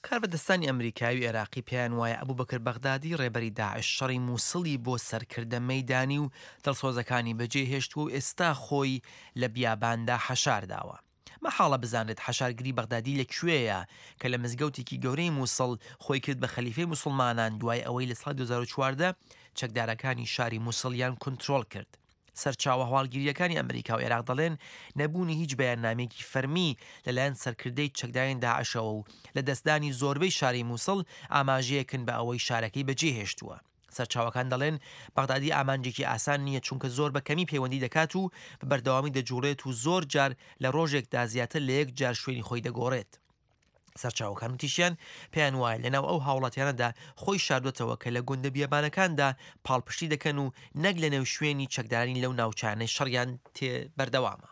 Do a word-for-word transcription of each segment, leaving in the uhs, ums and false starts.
کاربەدەستانی ئەمریکایی و عێراقی پێیان وایە ئەبوبەکر بەغدادی ڕێبەری داعش شەڕی موسڵی بۆ سەرکردە مەیدانی و دڵسۆزەکانی بەجێهێشتووە و ئێستا خۆی لە بیاباندا حەشارداوە. مەحاڵە بزانرێت حەشارگری بەغدادی لە کوێیە کە لە مزگەوتێکی گەورەی موسڵ خۆی کرد بە خەلیفەی موسڵمانان دوای ئەوەی لە ساڵی دوو هەزار و چواردە چەکدارەکانی شاری موسڵیان کونترۆڵ کرد. سەرچاوە هەواڵگرییەکانی ئەمریکا و عێراق دەڵێن نەبوونی هیچ بەیاننامەیەکی فەرمی لەلایەن سەرکردەی چەکدارانی داعشەوە و لەدەستدانی زۆربەی شاری موسڵ ئاماژەیەکن بە ئەوەی شارەکەی بەجێهێشتووە. سەرچاوەکان دەڵێن بەغدادی ئامانجێکی ئاسان نییە چونکە زۆر بە کەمی پەیوەندی دەکات و بە بەردەوامی دەجوڵێت و زۆر جار لە ڕۆژێکدا زیاتر لە یەک جار شوێنی خۆی دەگۆڕێت. سەرچاوەکان وتیشیان پێیان وایە لەناو ئەو هاوڵاتیانەدا خۆی شاردوەتەوە کە لە گوندە بیابانەکاندا پاڵپشتی دەکەن و نەک لەنێو شوێنی چەکدارانی لەو ناوچانەی شەڕیان تێ بەردەوامە.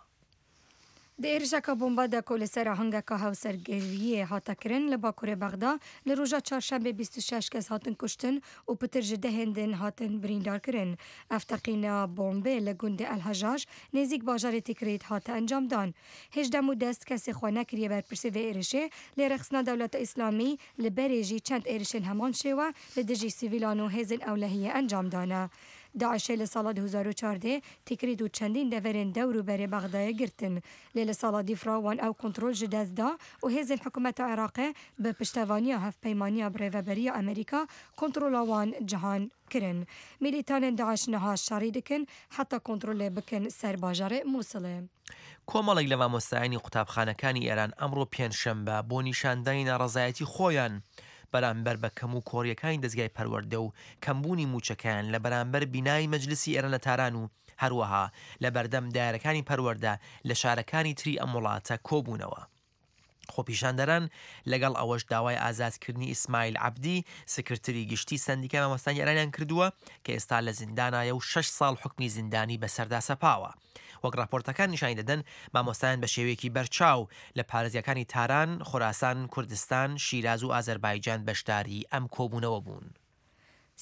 Di êrişeka bomba de ku li ser ahengeka hevsergiriyê hate kirin li Bakurê Bexda li roja çarşembê bîst û şeş kes hatin kuştin û pitir ji dehên din hatin birîndarkirin. Ev teqîna bombê li gundê El-Hejaj nêzîk bajarê Tikrît hate encamdan. Hêj dem û dest kesê xwe nekiriye berpirsê vê êrişê, lê rêxistina Dewleta Îslamî li berê jî çend êrişên heman şêwe li dijî sivîlan û hêzên ewlehiyê encam dane. Daişê li sala du hezar û çardeh Tikrît û çendîn deverên dewr û berê Bexdayê girtin. Lê li sala dîfra wan ew kontrol ji dest da û hêzên hikûmeta Iraqê bi piştevaniya hevpeymaniya birêveberiya Amerîka kontrola wan cihan kirin. Milîtanên Daiş niha şerî dikin heta kontrolê bikin ser bajarê Mûsilê. کۆمەڵێک لە مامۆستایانی قوتابخانەکانی ئێران ئەمڕۆ پێنجشەمبە بۆ نیشاندانی ناڕەزایەتی خۆیان بەرامبەر بە کەم و کۆریەکانی دەستگای پەروەردە و کەمبوونی موچەکەیان لە بەرامبەر بینای مەجلسی ئێران لە تاران و هەروەها لە بەردەم دایرەکانی پەروەردە لە شارەکانی تری ئەم وڵاتە کۆبوونەوە. خۆپیشاندەران لەگەڵ ئەوەش داوای ئازادکردنی ئیسماعیل عەبدی سکرتری گشتی سەندیکای مامۆستایانی ئێرانیان کردووە کە ئێستا لە زیندانایە و شەش ساڵ حوکمی زیندانی بەسەردا سەپاوە. وەک راپۆرتەکان نیشانی دەدەن مامۆستایان بە شێوەیەکی بەرچاو لە پارێزگاکانی تاران، خوراسان، کوردستان، شیراز و ئازەربایجان بەشداری ئەم کۆبوونەوە بوون.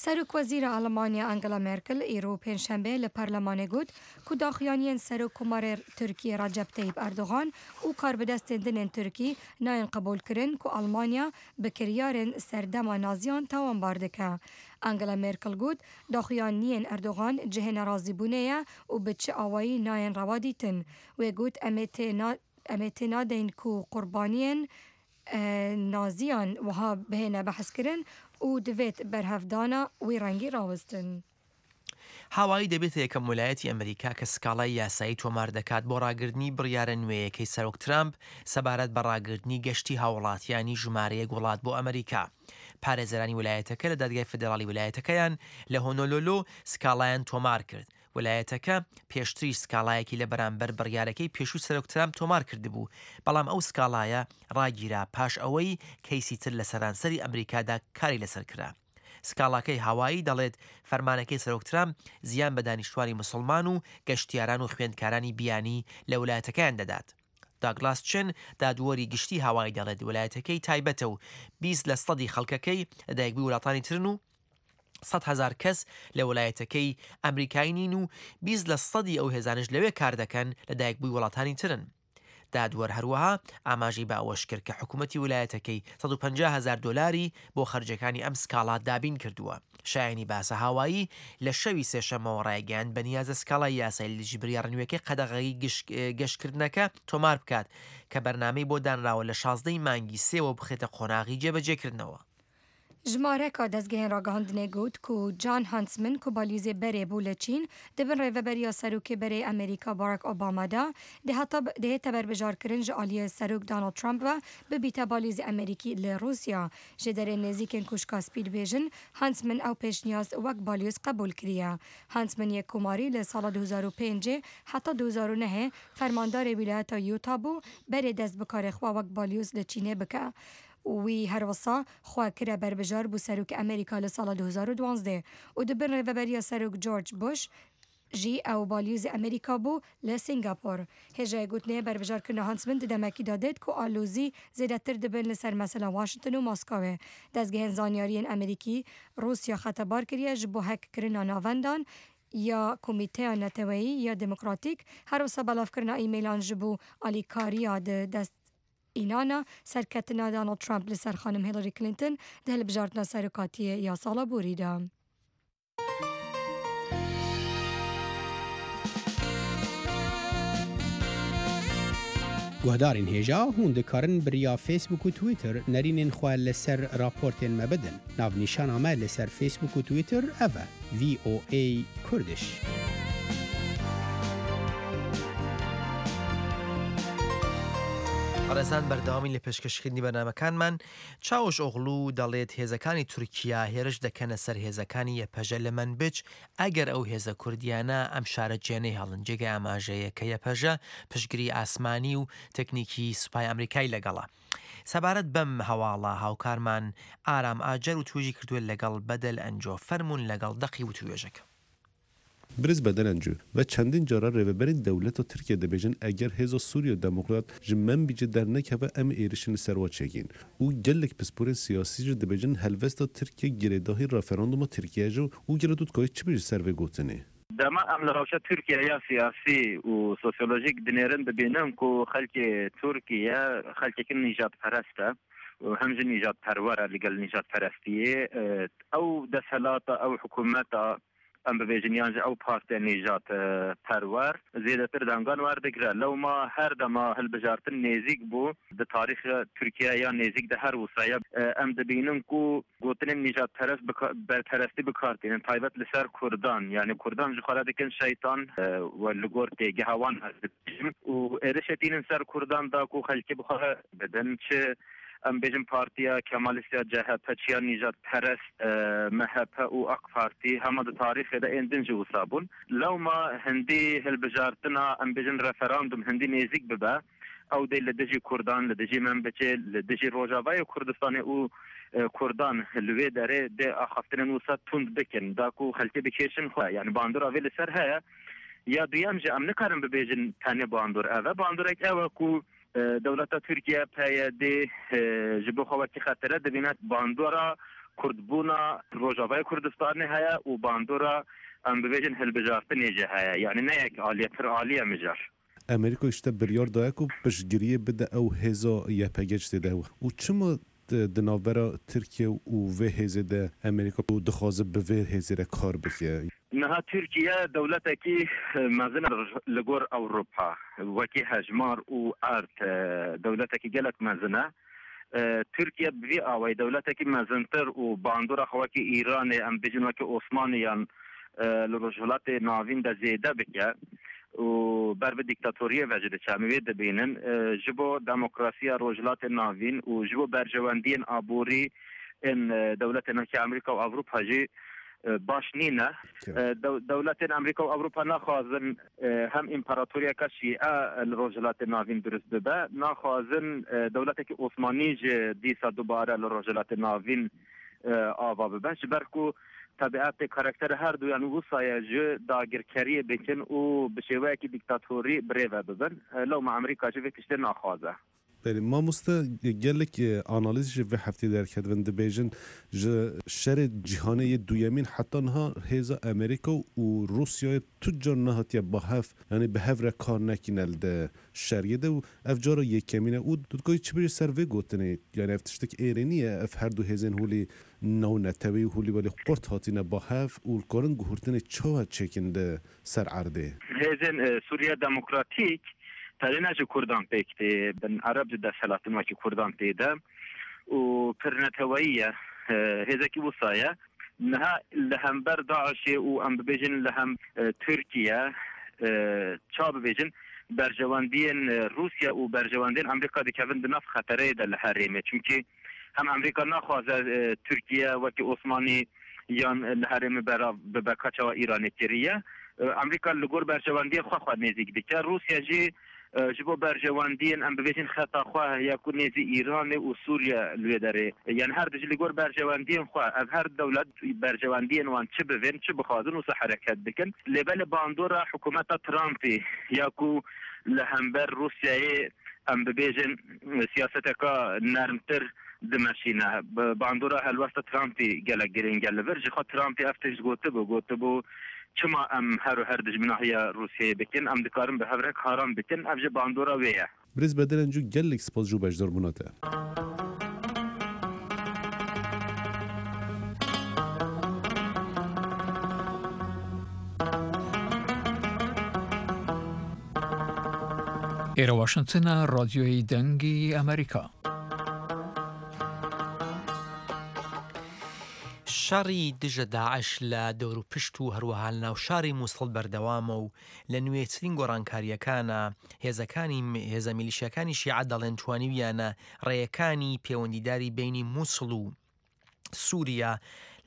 سەرۆک وەزیرە ئەڵمانیا ئەنگلا مێرکل ئیرۆ پێنجشەنبێ لە پەرلەمانێ گوت ku daxuyaniyên Serokkomarê Tirkiyê Recep Tayyip Erdogan û karbidestên din ên Tirkî nayên qebûlkirin ku Almanya bi kiryarên serdema Naziyan tawanbar dike. Angela Merkel got daxuyaniyên Erdogan cihê nerazîbûnê ye û bi çi awayî nayên rewa dîtin. Wê got em ê em ê tê nadeyên ku qurbaniyên Naziyan wiha bihêne behskirin û divêt berhevdana wî rengî rawestin. هاوایی دەبێتە یەکەم ویلایەتی ئەمریکا کە سکاڵای یاسایی تۆمار دەکات بۆ ڕاگرتنی بڕیارە نوێیەکەی سەرۆک ترامپ سەبارەت بە ڕاگرتنی گەشتی هاوڵاتیانی ژمارەیەک وڵات بۆ ئەمریکا. پارێزەرانی ویلایەتەکە لە دادگای فیدراڵی ویلایەتەکەیان لە هۆنۆلۆلۆ سکاڵایان تۆمار کرد. ویلایەتەکە پێشتریش سکاڵایەکی لە بەرامبەر بڕیارەکەی پێشوو سەرۆک ترامپ تۆمار کردبوو، بەڵام ئەو سکاڵایە ڕاگیرا پاش ئەوەی کەیسی تر لە سەرانسەری ئەمریکادا کاری لەسەر کرا. سکاڵاکەی هاوایی دەڵێت فەرمانەکەی سەرۆک ترامپ زیان بە دانیشتوانی مسلمان و گەشتیاران و خوێندکارانی بیانی لە ویلایەتەکەیان دەدات. داگلاس چن دادوەری گشتی هاوایی دەڵێت ویلایەتەکەی تایبەتە و بیست لە سەدی خەڵکەکەی لەدایکبووی وڵاتانی ترن و سەد هەزار کەس لە ویلایەتەکەی ئەمریکایی نین و بیست لە سەدی ئەو هێزانش لەوێ کار دەکەن لەدایکبووی وڵاتانی ترن. دادوەر هەروەها ئاماژەی بە ئەوەش کرد کە حکوومەتی ویلایەتەکەی سەد و پەنجا هەزار دۆلاری بۆ خەرجەکانی ئەم سکاڵا دابین کردووە. شایانی باسە هاوایی لە شەوی سێشەمەوە ڕایگەیاند بەنیازە سکاڵای یاسایی لە دژی بڕیارە نوێیەکەی قەدەغەی گەشتکردنەکە تۆمار بکات کە بەرنامەی بۆ دانراوە لە شازدەی مانگی سێوە بخێتە قۆناغی جێبەجێکردنەوە. ژمارەکە دەستگەهێن ڕاگەهاندنێ گوت ku Jon Huntsman ku balyozê berê bû li Çîn di bin rêveberiya Serokê berê Amerîka Barack Obama de dihête berbijarkirin ji aliyê Serok Donald Trump ve bibîte balyozê Amerîkî li Rûsya. Ji derên nêzîkên Koşka Spî dibêjin Huntsman ew pêşniyaz wek balyoz qebûl kiriye. Huntsman yek komarî li sala du hezar û pêncê heta du hezar û nehê fermandarê wîlayeta Utah bû berê dest bi karê xwe wek balyoz li Çînê bike. Wî herwisa xwe kire berbijar bû Serokê Amerîka li sala du hezar û duwazdeh û di bin rêveberiya Serok George Bush jî ew balyozê Amerîka bû li Singapur. Hêjayê gotinê berbijarkirina Huntsman di demekî de dêt ku alozî zêdetir dibin li ser mesela Washington û Moskowê. Dezgehên zanyariyên Amerîkî Rûsya xetebar kiriye ji bo hackkirina navendan ya Komîteya Neteweyî ya Demokratîk herwisa belavkirina e-mailan ji bo alîkariya di dest ئیلانا سەرکەتنا داناڵد ترامپ لەسەر خانم هیلاری کلینتن di hilbijartina serokatiyê ya sala borî de. Guhdarên hêja hûn dikarin bi riya Facebook û Twitter nerînên xwe li ser raportên me bidin. Navnîşana me li ser Facebook û Twitter ev e V O A Kurdish. بەڕێزان، بەردەوامی لە پێشکەشکردنی بەرنامەکانمان. چاوش ئۆغلو دەڵێت هێزەکانی تورکیا هێرش دەکەنە سەر هێزەکانی یەپەژە لە منبج ئەگەر ئەو هێزە کوردیانە ئەم شارە جێنەهێڵن. جێگای ئاماژەیە کە یەپەژە پشتگیری ئاسمانی و تەکنیکی سوپای ئەمریکای لەگەڵە. سەبارەت بەم هەواڵە هاوکارمان ئارام ئاجەر وتوێژی کردووە لەگەڵ بەدەل ئەنجۆ. فەرمونون لەگەڵ دەقی وتوێژەکە. Birêz Bedel Encû, ve çendîn cara rêveberên dewleta Tirkiye dibêjin eger hêza Sûriya Demokrat ji Menbicê dernekeve em êrişin li ser wa çêkin. Û gelek pisporên siyasî jî dibêjin helwesta Tirkiye girêdahî referanduma Tirkiye ji û gelo tu dikarî çi bêjî ser vê gotinê? Dema em li rewşa Tirkiye ya siyasî û sosyolojîk dinêrin, dibînin ku xelkê Tirkiye xelkekî nîjadperest e û hem jî nîjadperwer e li gel nîjadperestiyê. Ew desthilata, ew hikûmeta em bibêjin yan jî ew partiya nîjadperwer zêdetir dengan werdigire. Lewma her dema hilbijartin nêzîk bû di tarîxa Tirkiye ya nêzîk de her wisa ye, em dibînin ku gotinên nîjadperest berperestî bikar tînin, taybet li ser Kurdan, yani Kurdan ji xwe re dikin şeytan we li gor têgeha wan ez dibêjim û êrişê tînin ser Kurdan da ku xelkê bi xwe bidin, çi em bêjin partiya Kemalist ya C H P, çi ya nîjadperest M H P û AK Parti, hema di tarîxê de ên din jî wisa bûn. Lewma hindî hilbijartina, em bêjin referandum hindî nêzîk bibe, ew dê li dijî Kurdan, li dijî Menbicê, li dijî Rojavayê Kurdistanê û Kurdan li wê derê dê axaftinên wisa tund bikin da ku xelkê bikêşin xwe. Yani bandora vê li ser heye. Ya duyem jî em nikarin bibêjin tenê bandor ev e. Bandorek ew e ku dewleta Tirkiye P Y D ji bo xwe wekî xetere dibîne, bandora Kurdbûna Rojavayê Kurdistanê heye û bandora em bibêjin hilbijartinê jî heye. Yani ne yek aliye, pir aliye mijar. Amerîka işte biryar daye ku piştgiriyê bide ew hêza Y P G tê de û çima di navbera Tirkiye û vê hêzê de Amerîka dixwaze bi vê hêzê re kar bike? Niha Tirkiye dewletekî mezin li gor Ewropa, wekî hejmar û erd dewletekî gelek mezin e. Tirkiye bi vî awayî dewletekî mezintir û bandora xwe wekî Îranê, em bêjin wekî Osmaniyan li Rojhilatê Navîn de zêde bike û ber bi dîktatoriyê ve jî diçe, em wê dibînin, ji bo demokrasiya Rojhilatê Navîn û ji bo berjewendiyên aborî ên dewletên wekî Amerîka û Ewropa jî baş nîne. Dewletên Amerîka û Ewropa naxwazin hem împaratoriyeke Şîe li Rojhilatê Navîn dirust bibe, naxwazin dewletekî Osmanî ji dîsa dubare li Rojhilatê Navîn ava bibe, ji ber ku tebietê karakterê her duyan wisa ye ji dagirkeriyê bikin û bi şêweyekî dîktatorî birêve bibin. Lewma Amerîka jî vê tiştê naxwaze. Belê mamoste, gelek analîz ji vê heftê derketin dibêjin ji şerê cîhanê yê duyemîn heta niha hêza Amerîka û Rûsyayê tu car nehatiye ba hev, yani bi hev re kar nekîne li di şeriyê de û ev cara yekemîn e û tu dikarî çi bêjî ser vê gotinê? Yani ev tiştek êrênî ye, ev her du hêzên holê navneteweyî holê welê qurt hatine ba hev û karin guhertinê çawa çêkin li ser erdê? Hêzên Sûriya Demokratîk tenê ne ji Kurdan pêk tê, bin Ereb ji desthilatin wekî Kurdan tê de û pir neteweyî ye, hêzekî wisa ye. Niha li hember Daişê û em bibêjin li hem Tirkiye, ça bibêjin, berjewendiyên Rûsya û berjewendiyên Amerîka dikevin di nav xetereyê de li herêmê. Çimkî hem Amerîka naxwaze Tirkiye wekî Osmanî yan li herêmê berav bibe ka çawa Îranê kiriye. Amerîka li gor berjewendiyê xwe xwe nêzîk dike. Rûsya jî ji bo berjewendiyên em bibêjin xeta xwe ya ku nêzî Îranê û Sûriye li wê derê. Yani her dijî li gor berjewendiyên xwe, ev her dewlet berjewendiyên wan çi bivên, çi bixwazin wisa hereket dikin. Lê belê bandora hikûmeta Trumpê ya ku li hember Rûsyayê em bibêjin siyaseteka nermtir dimeşîne. Bandora helwesta Trumpê gelek girîng e li vir. Ji xwe Trumpê ev tişt gotibû, gotibû çima em her û her dijminahiya Rûsyayê bikin, em dikarin bi hev re karan bikin. Ev ji bandora wê ye. Birêz Bedel Encu gelek spas ji beşdarbûna te. ئێرە واشنتنە، ڕادیۆی دەنگی ئەمریکا. شەڕی دژە داعش لە دەوروپشت و هەروەها لە ناوشاری مووسڵ بەردەوامە و لە نوێترین گۆڕانکارییەکانە هێزەکانی هێزە میلیشیاکانی شیعە دەڵێن توانیویانە ڕێیەکانی پەیوەندیداری بینی مووسڵ و سووریا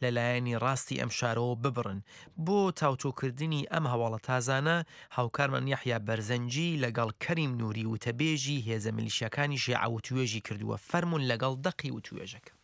لەلایەنی ڕاستی ئەم شارەوە ببڕن. بۆ تاوتۆکردنی ئەم هەواڵە تازانە هاوکارمان یەحیا بەرزەنجی لەگەڵ کەریم نووری وتەبێژی هێزە میلیشیاکانی شیعە وتوێژی کردووە. فەرمونون لەگەڵ دەقی وتوێژەکە.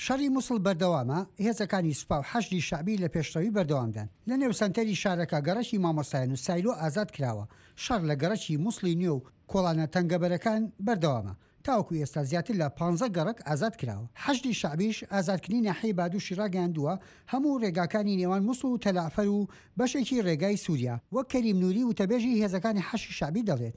شەڕی مووسڵ بەردەوامە، هێزەکانی سوپا و حەشدی شەعبی لە پێشڕەوی بەردەوامدان. لە نێو سەنتەری شارەکە گەڕەکی مامۆستایان و سایلۆ ئازاد کراوە. شەڕ لە گەڕەکی مووسڵی نوێ و کۆڵانە تەنگەبەرەکان بەردەوامە. تاوەکو ئێستا زیاتر لە پانزە گەڕەک ئازاد کراوە. حەشدی شەعبیش ئازادکردنی ناحیەی بادوشی ڕاگەیاندووە، هەموو ڕێگاکانی نێوان مووسڵ و تەلەعفەر و بەشێکی ڕێگای سووریا. وەک کەریم نووری وتەبێژی هێزەکانی حەشدی شەعبی دەڵێت: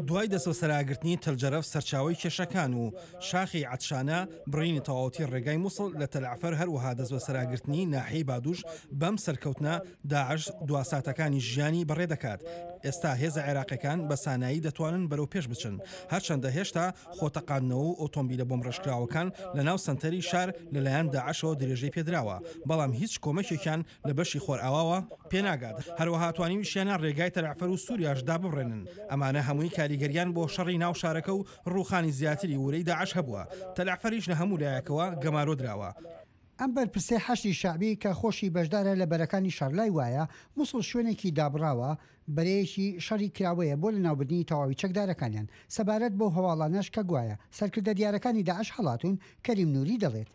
دوای دەستبەسەراگرتنی تەلجەرەف سەرچاوەی کێشەکان و شاخی عەتشانە، بڕینی تەواوەتی ڕێگای مووسڵ لە تەلعفەر، هەروەها دەستبەسەراگرتنی ناحیەی بادوش، بەم سەرکەوتنە داعش دواساتەکانی ژیانی بەڕێ دەکات. ئێستا هێزە عێراقیەکان بە سانایی دەتوانن بەرەو پێش بچن، هەرچەندە هێشتا خۆتەقاندنەوە و ئۆتۆمبیلە بۆمڕێژکراوەکان لە ناو سەنتەری شار لەلایەن داعشەوە درێژەی پێدراوە، بەڵام هیچ کۆمەکێکیان لە بەشی خۆرئاواوە پێناگات. هەروەها توانیویشیانە ڕێگای تەلعفەر و سووریاش داببڕێنن. ئەمانە هەمووی کاریگەریان بۆ شەڕی ناو شارەکە و ڕووخانی زیاتری ورەی داعش هەبووە. تەلعفەریش لە هەموو لایەکەوە گەمارۆ دراوە. ئەم بەرپرسەی حەشدی شەعبی کە خۆشی بەشدارە لە بەرەکانی شەڕ لای وایە مووسڵ شوێنێکی دابڕاوە، بەرەیەکی شەڕی کراوەیە بۆ لەناوبردنی تەواوی چەکدارەکانیان. سەبارەت بەو هەواڵانەش کە گوایە سەرکردە دیارەکانی داعش هەڵاتون، کەریم نووری دەڵێت: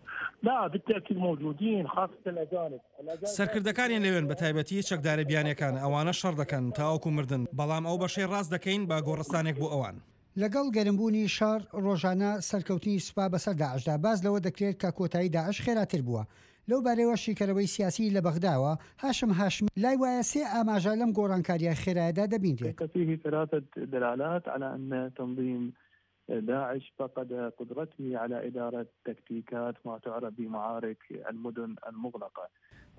سەرکردەکانیان لەوێن، بە تایبەتی چەکدارە بیانیەکان، ئەوانە شەڕ دەکەن تاوەکو مردن، بەڵام ئەو بەشەی ڕاست دەکەین بە گۆڕستانێک بۆ ئەوان. لەگەڵ گەرمبوونی شەڕ ڕۆژانە سەرکەوتنی سوپا بەسەر داعشدا باز لەوە دەکرێت کە کۆتایی داعش خێراتر بووە. لەو بارەیەوە شیکەرەوەی سیاسی لە بەغداوە هاشم هاشمی لای وایە سێ ئاماژە لەم گۆڕانکاریە خێرایەدا دەبینرێت. فيه ثلاثة دلالات على أن تنظيم داعش فقد قدرته على إدارة تكتيكات ما تعرف بمعارك المدن المغلقة.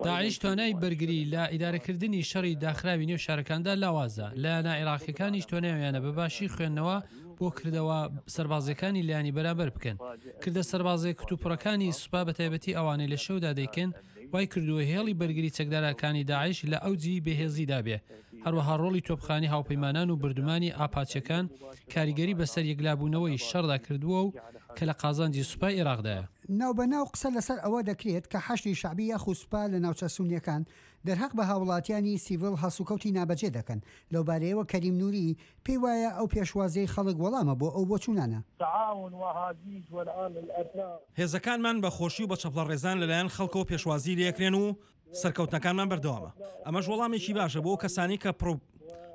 داعش توانای بەرگری لە ئیدارەکردنی شەڕی داخراوی نێو شارەکاندا لاوازە. لایەنە عێراقیەکانیش توانایانە بە باشی خوێندنەوە بۆ کردەوە سەربازیەکانی لایەنی بەرامبەر بکەن. کردە سەربازیە کتوپڕەکانی سوپا بە تایبەتی ئەوانەی لە شەودا دەیکەن وای کردووە هێڵی بەرگری چەکدارەکانی داعش لە ئەوجی بەهێزیدا بێ. هەروەها ڕۆڵی تۆپخانی هاوپەیمانان و بردومانی ئاپاچەکان کاریگەری بەسەر یەکلابوونەوەی شەڕدا کردووە و کە لە قازانجی سوپای عێراقدایە. ناوبەناو قسە لەسەر ئەوە دەکرێت کە حەشدی شەعبی یاخود سوپا لە ناوچە سونیەکان دەرهەق بە هاوڵاتیانی سیڤیل هەڵسوکەوتی نابەجێ دەکەن. لەو بارەیەوە کەریم نووری پێی وایە ئەو پێشوازیەی خەڵک وەڵامە بۆ ئەو بۆچوونانە. هێزەکانمان بە خۆشی و بە چەپڵە ڕێزان لەلایەن خەڵکەوە پێشوازی لێکرێن و سەرکەوتنەکانمان بەردەوامە. ئەمەش وەڵامێکی باشە بۆ کەسانی کە پرۆ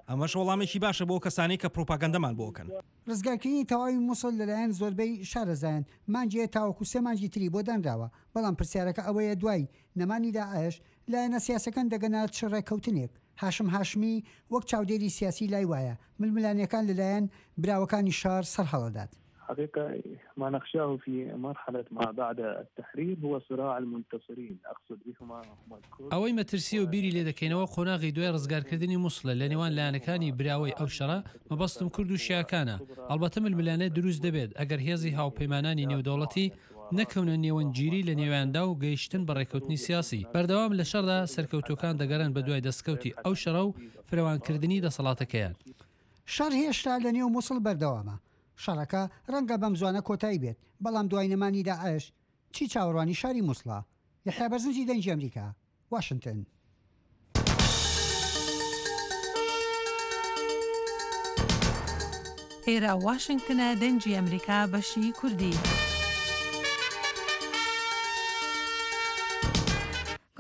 ئەمەش وەڵامێکی باشە بۆ کەسانی کە پروپاگەندەمان بۆکەن. ڕزگارکردنی تەواوی مووسڵ لەلایەن زۆربەی شارەزایان مانگێ تاوەکو سێ مانگی تری بۆ دانراوە، بەڵام پرسیارەکە ئەوەیە دوای نەمانی داعش لایەنە سیاسەکان دەگەنە چ ڕێککەوتنێک. هاشم هاشمی وەک چاودێری سیاسی لای وایە ململانیەکان لەلایەن براوەکانی شار سەرهەڵدات. حقيقة ما نخشاه في مرحلة ما بعد التحرير هو صراع المنتصرين، أقصد بهما هم الكرد. ئەوەی مەترسی و بیری لێ دەکەینەوە قۆناغی دوای ڕزگارکردنی مووسڵە لە نێوان لایەنەکانی براوەی ئەو شەڕە، مەبەستم کورد و شیعەکانە. ئەڵبەتە ململانێ دروست دەبێت ئەگەر هێزی هاوپەیمانانی نێودەوڵەتی نەکەونە نێوەندگیری لە نێویاندا و گەیشتن بە ڕێککەوتنی سیاسی. بەردەوام لە شەڕدا سەرکەوتوەکان دەگەڕێن بە دوای دەستکەوتی ئەو شەڕە و فرەوانکردنی دەسەڵاتەکەیان. شەڕ هێشتا لە نێو مووسڵ بەردەوامە. شەڕەکە ڕەنگە بەم زوانە کۆتایی بێت، بەڵام دوای نەمانی داعش چی چاوەڕوانی شاری مووسڵە؟ یەحیا بەرزنجی، دەنگی ئەمریکا، واشنگتن. ئێرە واشنگتنە، دەنگی ئەمریکا، بەشی کوردی.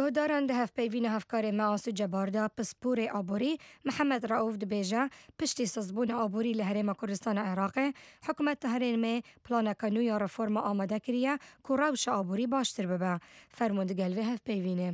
گۆداران دە هەفپەیڤینە هەفکارێ مەئاسو جەباردا پسپۆرê ئابووری محەممەد ڕەئوف دەبێژە پشتی سزبوون ئابووری لە هەرێمە کوردستانە عێراقێ حکوومەت هەرێمێ پلانەکە نوێ یا ڕێفۆرمە ئامادە کریە کو ڕەوشە ئابووری باشتر ببە. فەرموون دگەل vê هەفپەیڤینێ.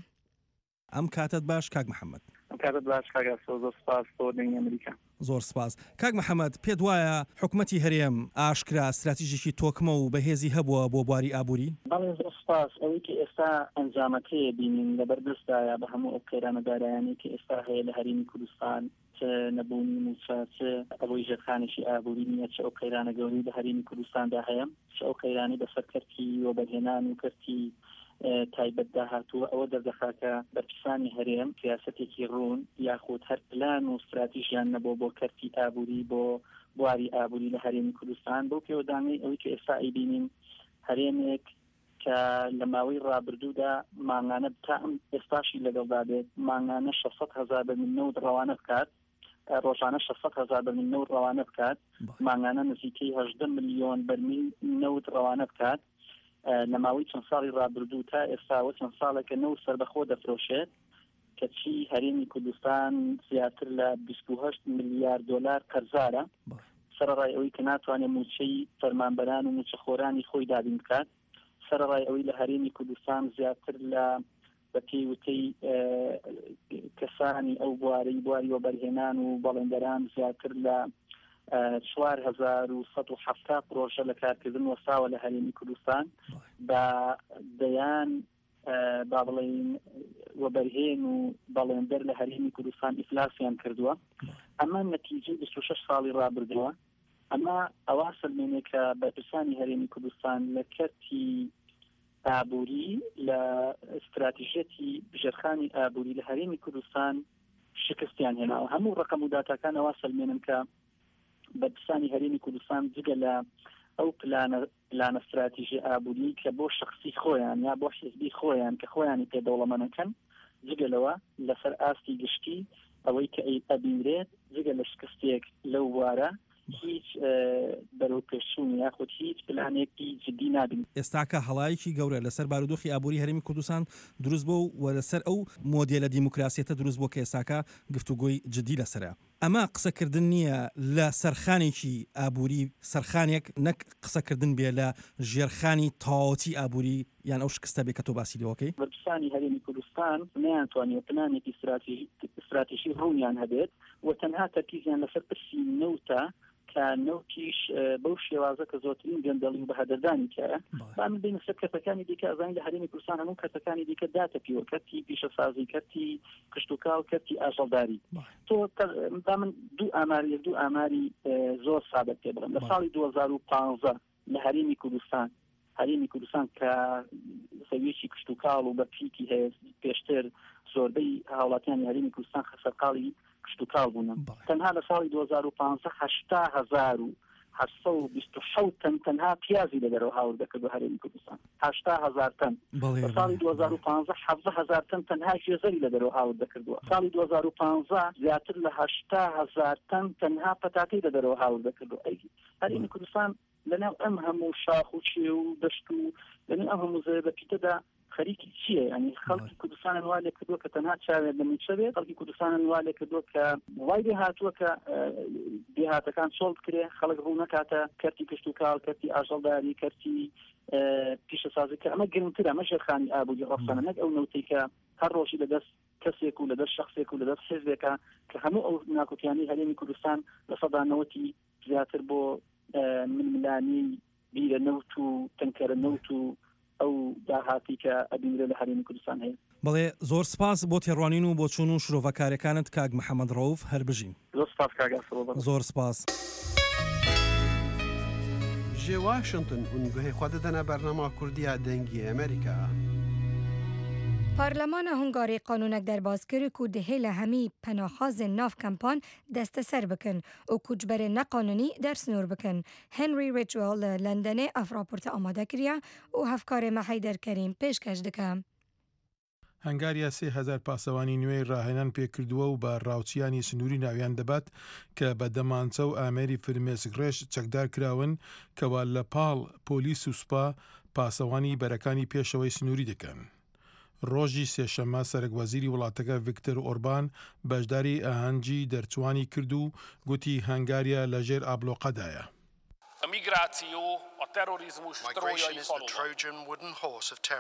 ئەم کاتت باش کاک محەممەد. ئەم کاتەت باش کاک ئاسۆ، زۆر سپاس بۆ دەنگی ئەمریکا. زۆر سپاس. کاک محەمەد، پێت وایە حکومەتی هەرێم ئاشکرا ستراتیژێکی تۆکمە و بەهێزی هەبووە بۆ بواری ئابووری؟ بەڵێ زۆر سپاس. ئەوەی کە ئێستا ئەنجامەکەی بینین لەبەر دەستدایە بە هەموو ئەو قەیرانە دارایانەی کە ئێستا هەیە لە هەرێمی کوردستان، چ نەبوونی مووچە، چ ئەوەی ژێرخانێکی ئابووری نییە، چ ئەو قەیرانە گەورەی لە هەرێمی کوردستاندا هەیە، چ ئەو قەیرانەی بەسەر کەرتی وەبەرهێنان و کەرتی تایبەتدا هاتووە، ئەوە دەردەخا کە بەرپرسانی هەرێم سیاسەتێکی ڕوون یاخود هەر پلان و ستراتیژیان نەبووە بۆ کەرتی ئابووری، بۆ بواری ئابووری لە هەرێمی کوردستان. بەو پێوەدانەی ئەوەی کە ئێستا ئەیبینین هەرێمێک کە لە ماوەی ڕابردوودا مانگانە تا ئەم ئێستاشی لەگەڵدا بێت مانگانە شەش سەد هەزار بەرمیل نەوت ڕەوانە بکات، ڕۆژانە شەش سەد هەزار بەرمیل نەوت ڕەوانە بکات، مانگانە نزیکەی هەژدە ملیۆن بەرمیل نەوت ڕەوانە بکات. لە ماوەی چەند ساڵی ڕابردوو تا ئێستاوە چەند ساڵێکە نەوت سەربەخۆ دەفرۆشێت، کەچی هەرێمی کوردستان زیاتر لە بیست و هەشت ملیار دۆلار قەرزارە، سەرەڕای ئەوەی کە ناتوانێت مووچەی فەرمانبەران و مووچەخۆرانی خۆی دابین بکات، سەرەڕای ئەوەی لە هەرێمی کوردستان زیاتر لە بە پێی وتەی کەسانی ئەو بوارەی بواری وەبەرهێنان و بەڵێندەران زیاتر لە چوار هەزار و سەد و حەفتا پرۆژە لە کارکردن وەستاوە لە هەرێمی کوردستان، بە دەیان با بڵێین وەبەرهێن و بەڵێندەر لە هەرێمی کوردستان ئیفلاسیان کردووە. ئەمە نەتیجەی بیست و شەش ساڵی ڕابردووە. ئەمە ئەوە سەلمێنێ کە بەرپرسانی هەرێمی کوردستان لە کەرتی ئابووری، لە استراتیژیەتی ژێرخانی ئابووری لە هەرێمی کوردستان شکستیان هێناوە. هەموو ڕقم و داتاکان ئەوە سەلمێنن کە بەرپرسانی هەرێمی کوردستان جگە لە ئەو پلانە پلانە استراتیژی ئابووری کە بۆ شخصی خۆیان یا بۆ حیزبی خۆیان کە خۆیانی پێ دەوڵەمەنەکەن، جگە لەوە لەسەر ئاستی گشتی ئەوەی کە ئەبینرێت جگە لە شکستێک لەو بوارە هیچ بەرەو پێشچوون یاخود هیچ پلانێکی جدی نابین. ئێستاکە هەڵایەکی گەورە لەسەر بارودۆخی ئابووری هەرێمی کوردستان دروست بوو و لەسەر ئەو مۆدێلە دیموکراسیەتە دروست بوو کە ئێستاکە گفتوگۆی جدی لەسەرە. ئەمە قسەکردن نییە لە سەرخانێکی ئابووری، سەرخانێک نەک قسەکردن بێ لە ژێرخانی تەواوەتی ئابووری یان ئەو شکستە بێ کە تۆ باسی لێوەکەی. بەرپرسانی هەرێمی کوردستان نەیانتوانیوە پلانێکی استراتیژی ڕوونیان هەبێت و تەنها تەرکیزیان لەسەر پرسی نەوتە کە نەوتیش بەو شێوازە کە زۆرترین گەندەڵی و بەهەدەردانی تیایە. با من بینە سەر کەرتەکانی دیکە، ئەزانین لە هەرێمی کوردستان هەموو کەرتەکانی دیکە داتەپیوە، کەرتی پیشەسازی، کەرتی کشتوکاڵ، کەرتی ئاژەڵداری. تۆ با من دوو ئاماری دوو ئاماری زۆر سادە پێ بڵێم. لە ساڵی دوو هەزار و پانزە لە هەرێمی کوردستان، هەرێمی کوردستان کە زەویەکی کشتوکاڵ و بەپیتی هەیە، پێشتر زۆربەی هاوڵاتیانی هەرێمی کوردستان سەرقاڵی کشتوکاڵ بوون، تەنها لە ساڵی دوو هەزار و پانزە هەشتا هەزار و هەشت سەد و بیست و حەوت تەن تەنها پیازی لە دەرەوە هاوردە کردو هەرێمی کوردستان، هەشتا هەزار تەن. لە ساڵی دوو هەزار و پانزە حەڤدە هەزار تەن تەنها گوێزەری لە دەرەوە هاوردە کردووە. ساڵی دوو هەزار و پانزە زیاتر لە هەشتا هەزار تەن تەنها پەتاتەی لە دەرەوە هاوردە کردووە. ئەی هەرێمی کوردستان لەناو ئەم هەموو شاخ و چێ و دەشت و لەناو ئەم هەموو زەوی بەپیتەدا خەریکی چییە؟ ینی خەڵکی کوردستانن وا لێ کردووە کە تەنها چاوێن لە مووچە بێت، خەڵکی کوردستانن وا لێ کردووە کە وای لێ هاتووە کە دێهاتەکان چۆڵ بکرێ، خەڵک ڕوو نەکاتە کەرتی کشتوکاڵ، کەرتی ئاژەڵداری، کەرتی پیشەسازی، کە ئەمە گرنگترە، ئەمە ژێرخانی ئابووری ڕەسەنە، نەک ئەو نەوتەی کە هەر ڕۆژی لەدەست کەسێک و لەدەست شخصێک و لەدەست حیزبێکە کە هەموو ئەو ناکۆکیانەی هەرێمی کوردستان لە سەدا نەوەتی زیاتر بۆ ململانی بیرە نەوت و تەنکەرە نەوت و ئەو داهاتی کە ئەبینرێ لە هەرێمی کوردستان هەیە. بەڵێ زۆر سپاس بۆ تێڕوانین و بۆچوون و شرۆڤەکارەکانت کاک محەممەد ڕەوف، هەر بژین. زۆر سپاس کاک ئاسۆ. زۆر سپاس. Ji Washington hûn guhê xwe didine bernama Kurdiya Dengê Amerîka. پارلمان هنگاری قانونک درباز کرد که دهیل همی پناهخواز ناف کمپان دست سر بکن و کوچبر نقانونی در سنور بکن. هنری ریچوال لندن اف راپورت آماده کریه و هفکار محیدر کریم پیشکش دکه. هەنگاریا سێ هەزار پاسەوانی نوێی ڕاهێنان پێکردووە و بە ڕاوچیانی سنووری ناویان دەبات کە بە دەمانچە و ئامێری فرمێسکڕێژ چەکدار کراون کەوا لە پاڵ پۆلیس و سوپا پاسەوانی بەرەکانی پێشەوەی سنووری دەکەن. ڕۆژی سێشەممە سەرەک وەزیری وڵاتەکە ڤیکتۆر ئۆربان بەشداری ئاهەنگی دەرچوانی کرد و گوتی هەنگاریا لەژێر ئابلۆقەدایە. A migráció a terrorizmus trójai faluva.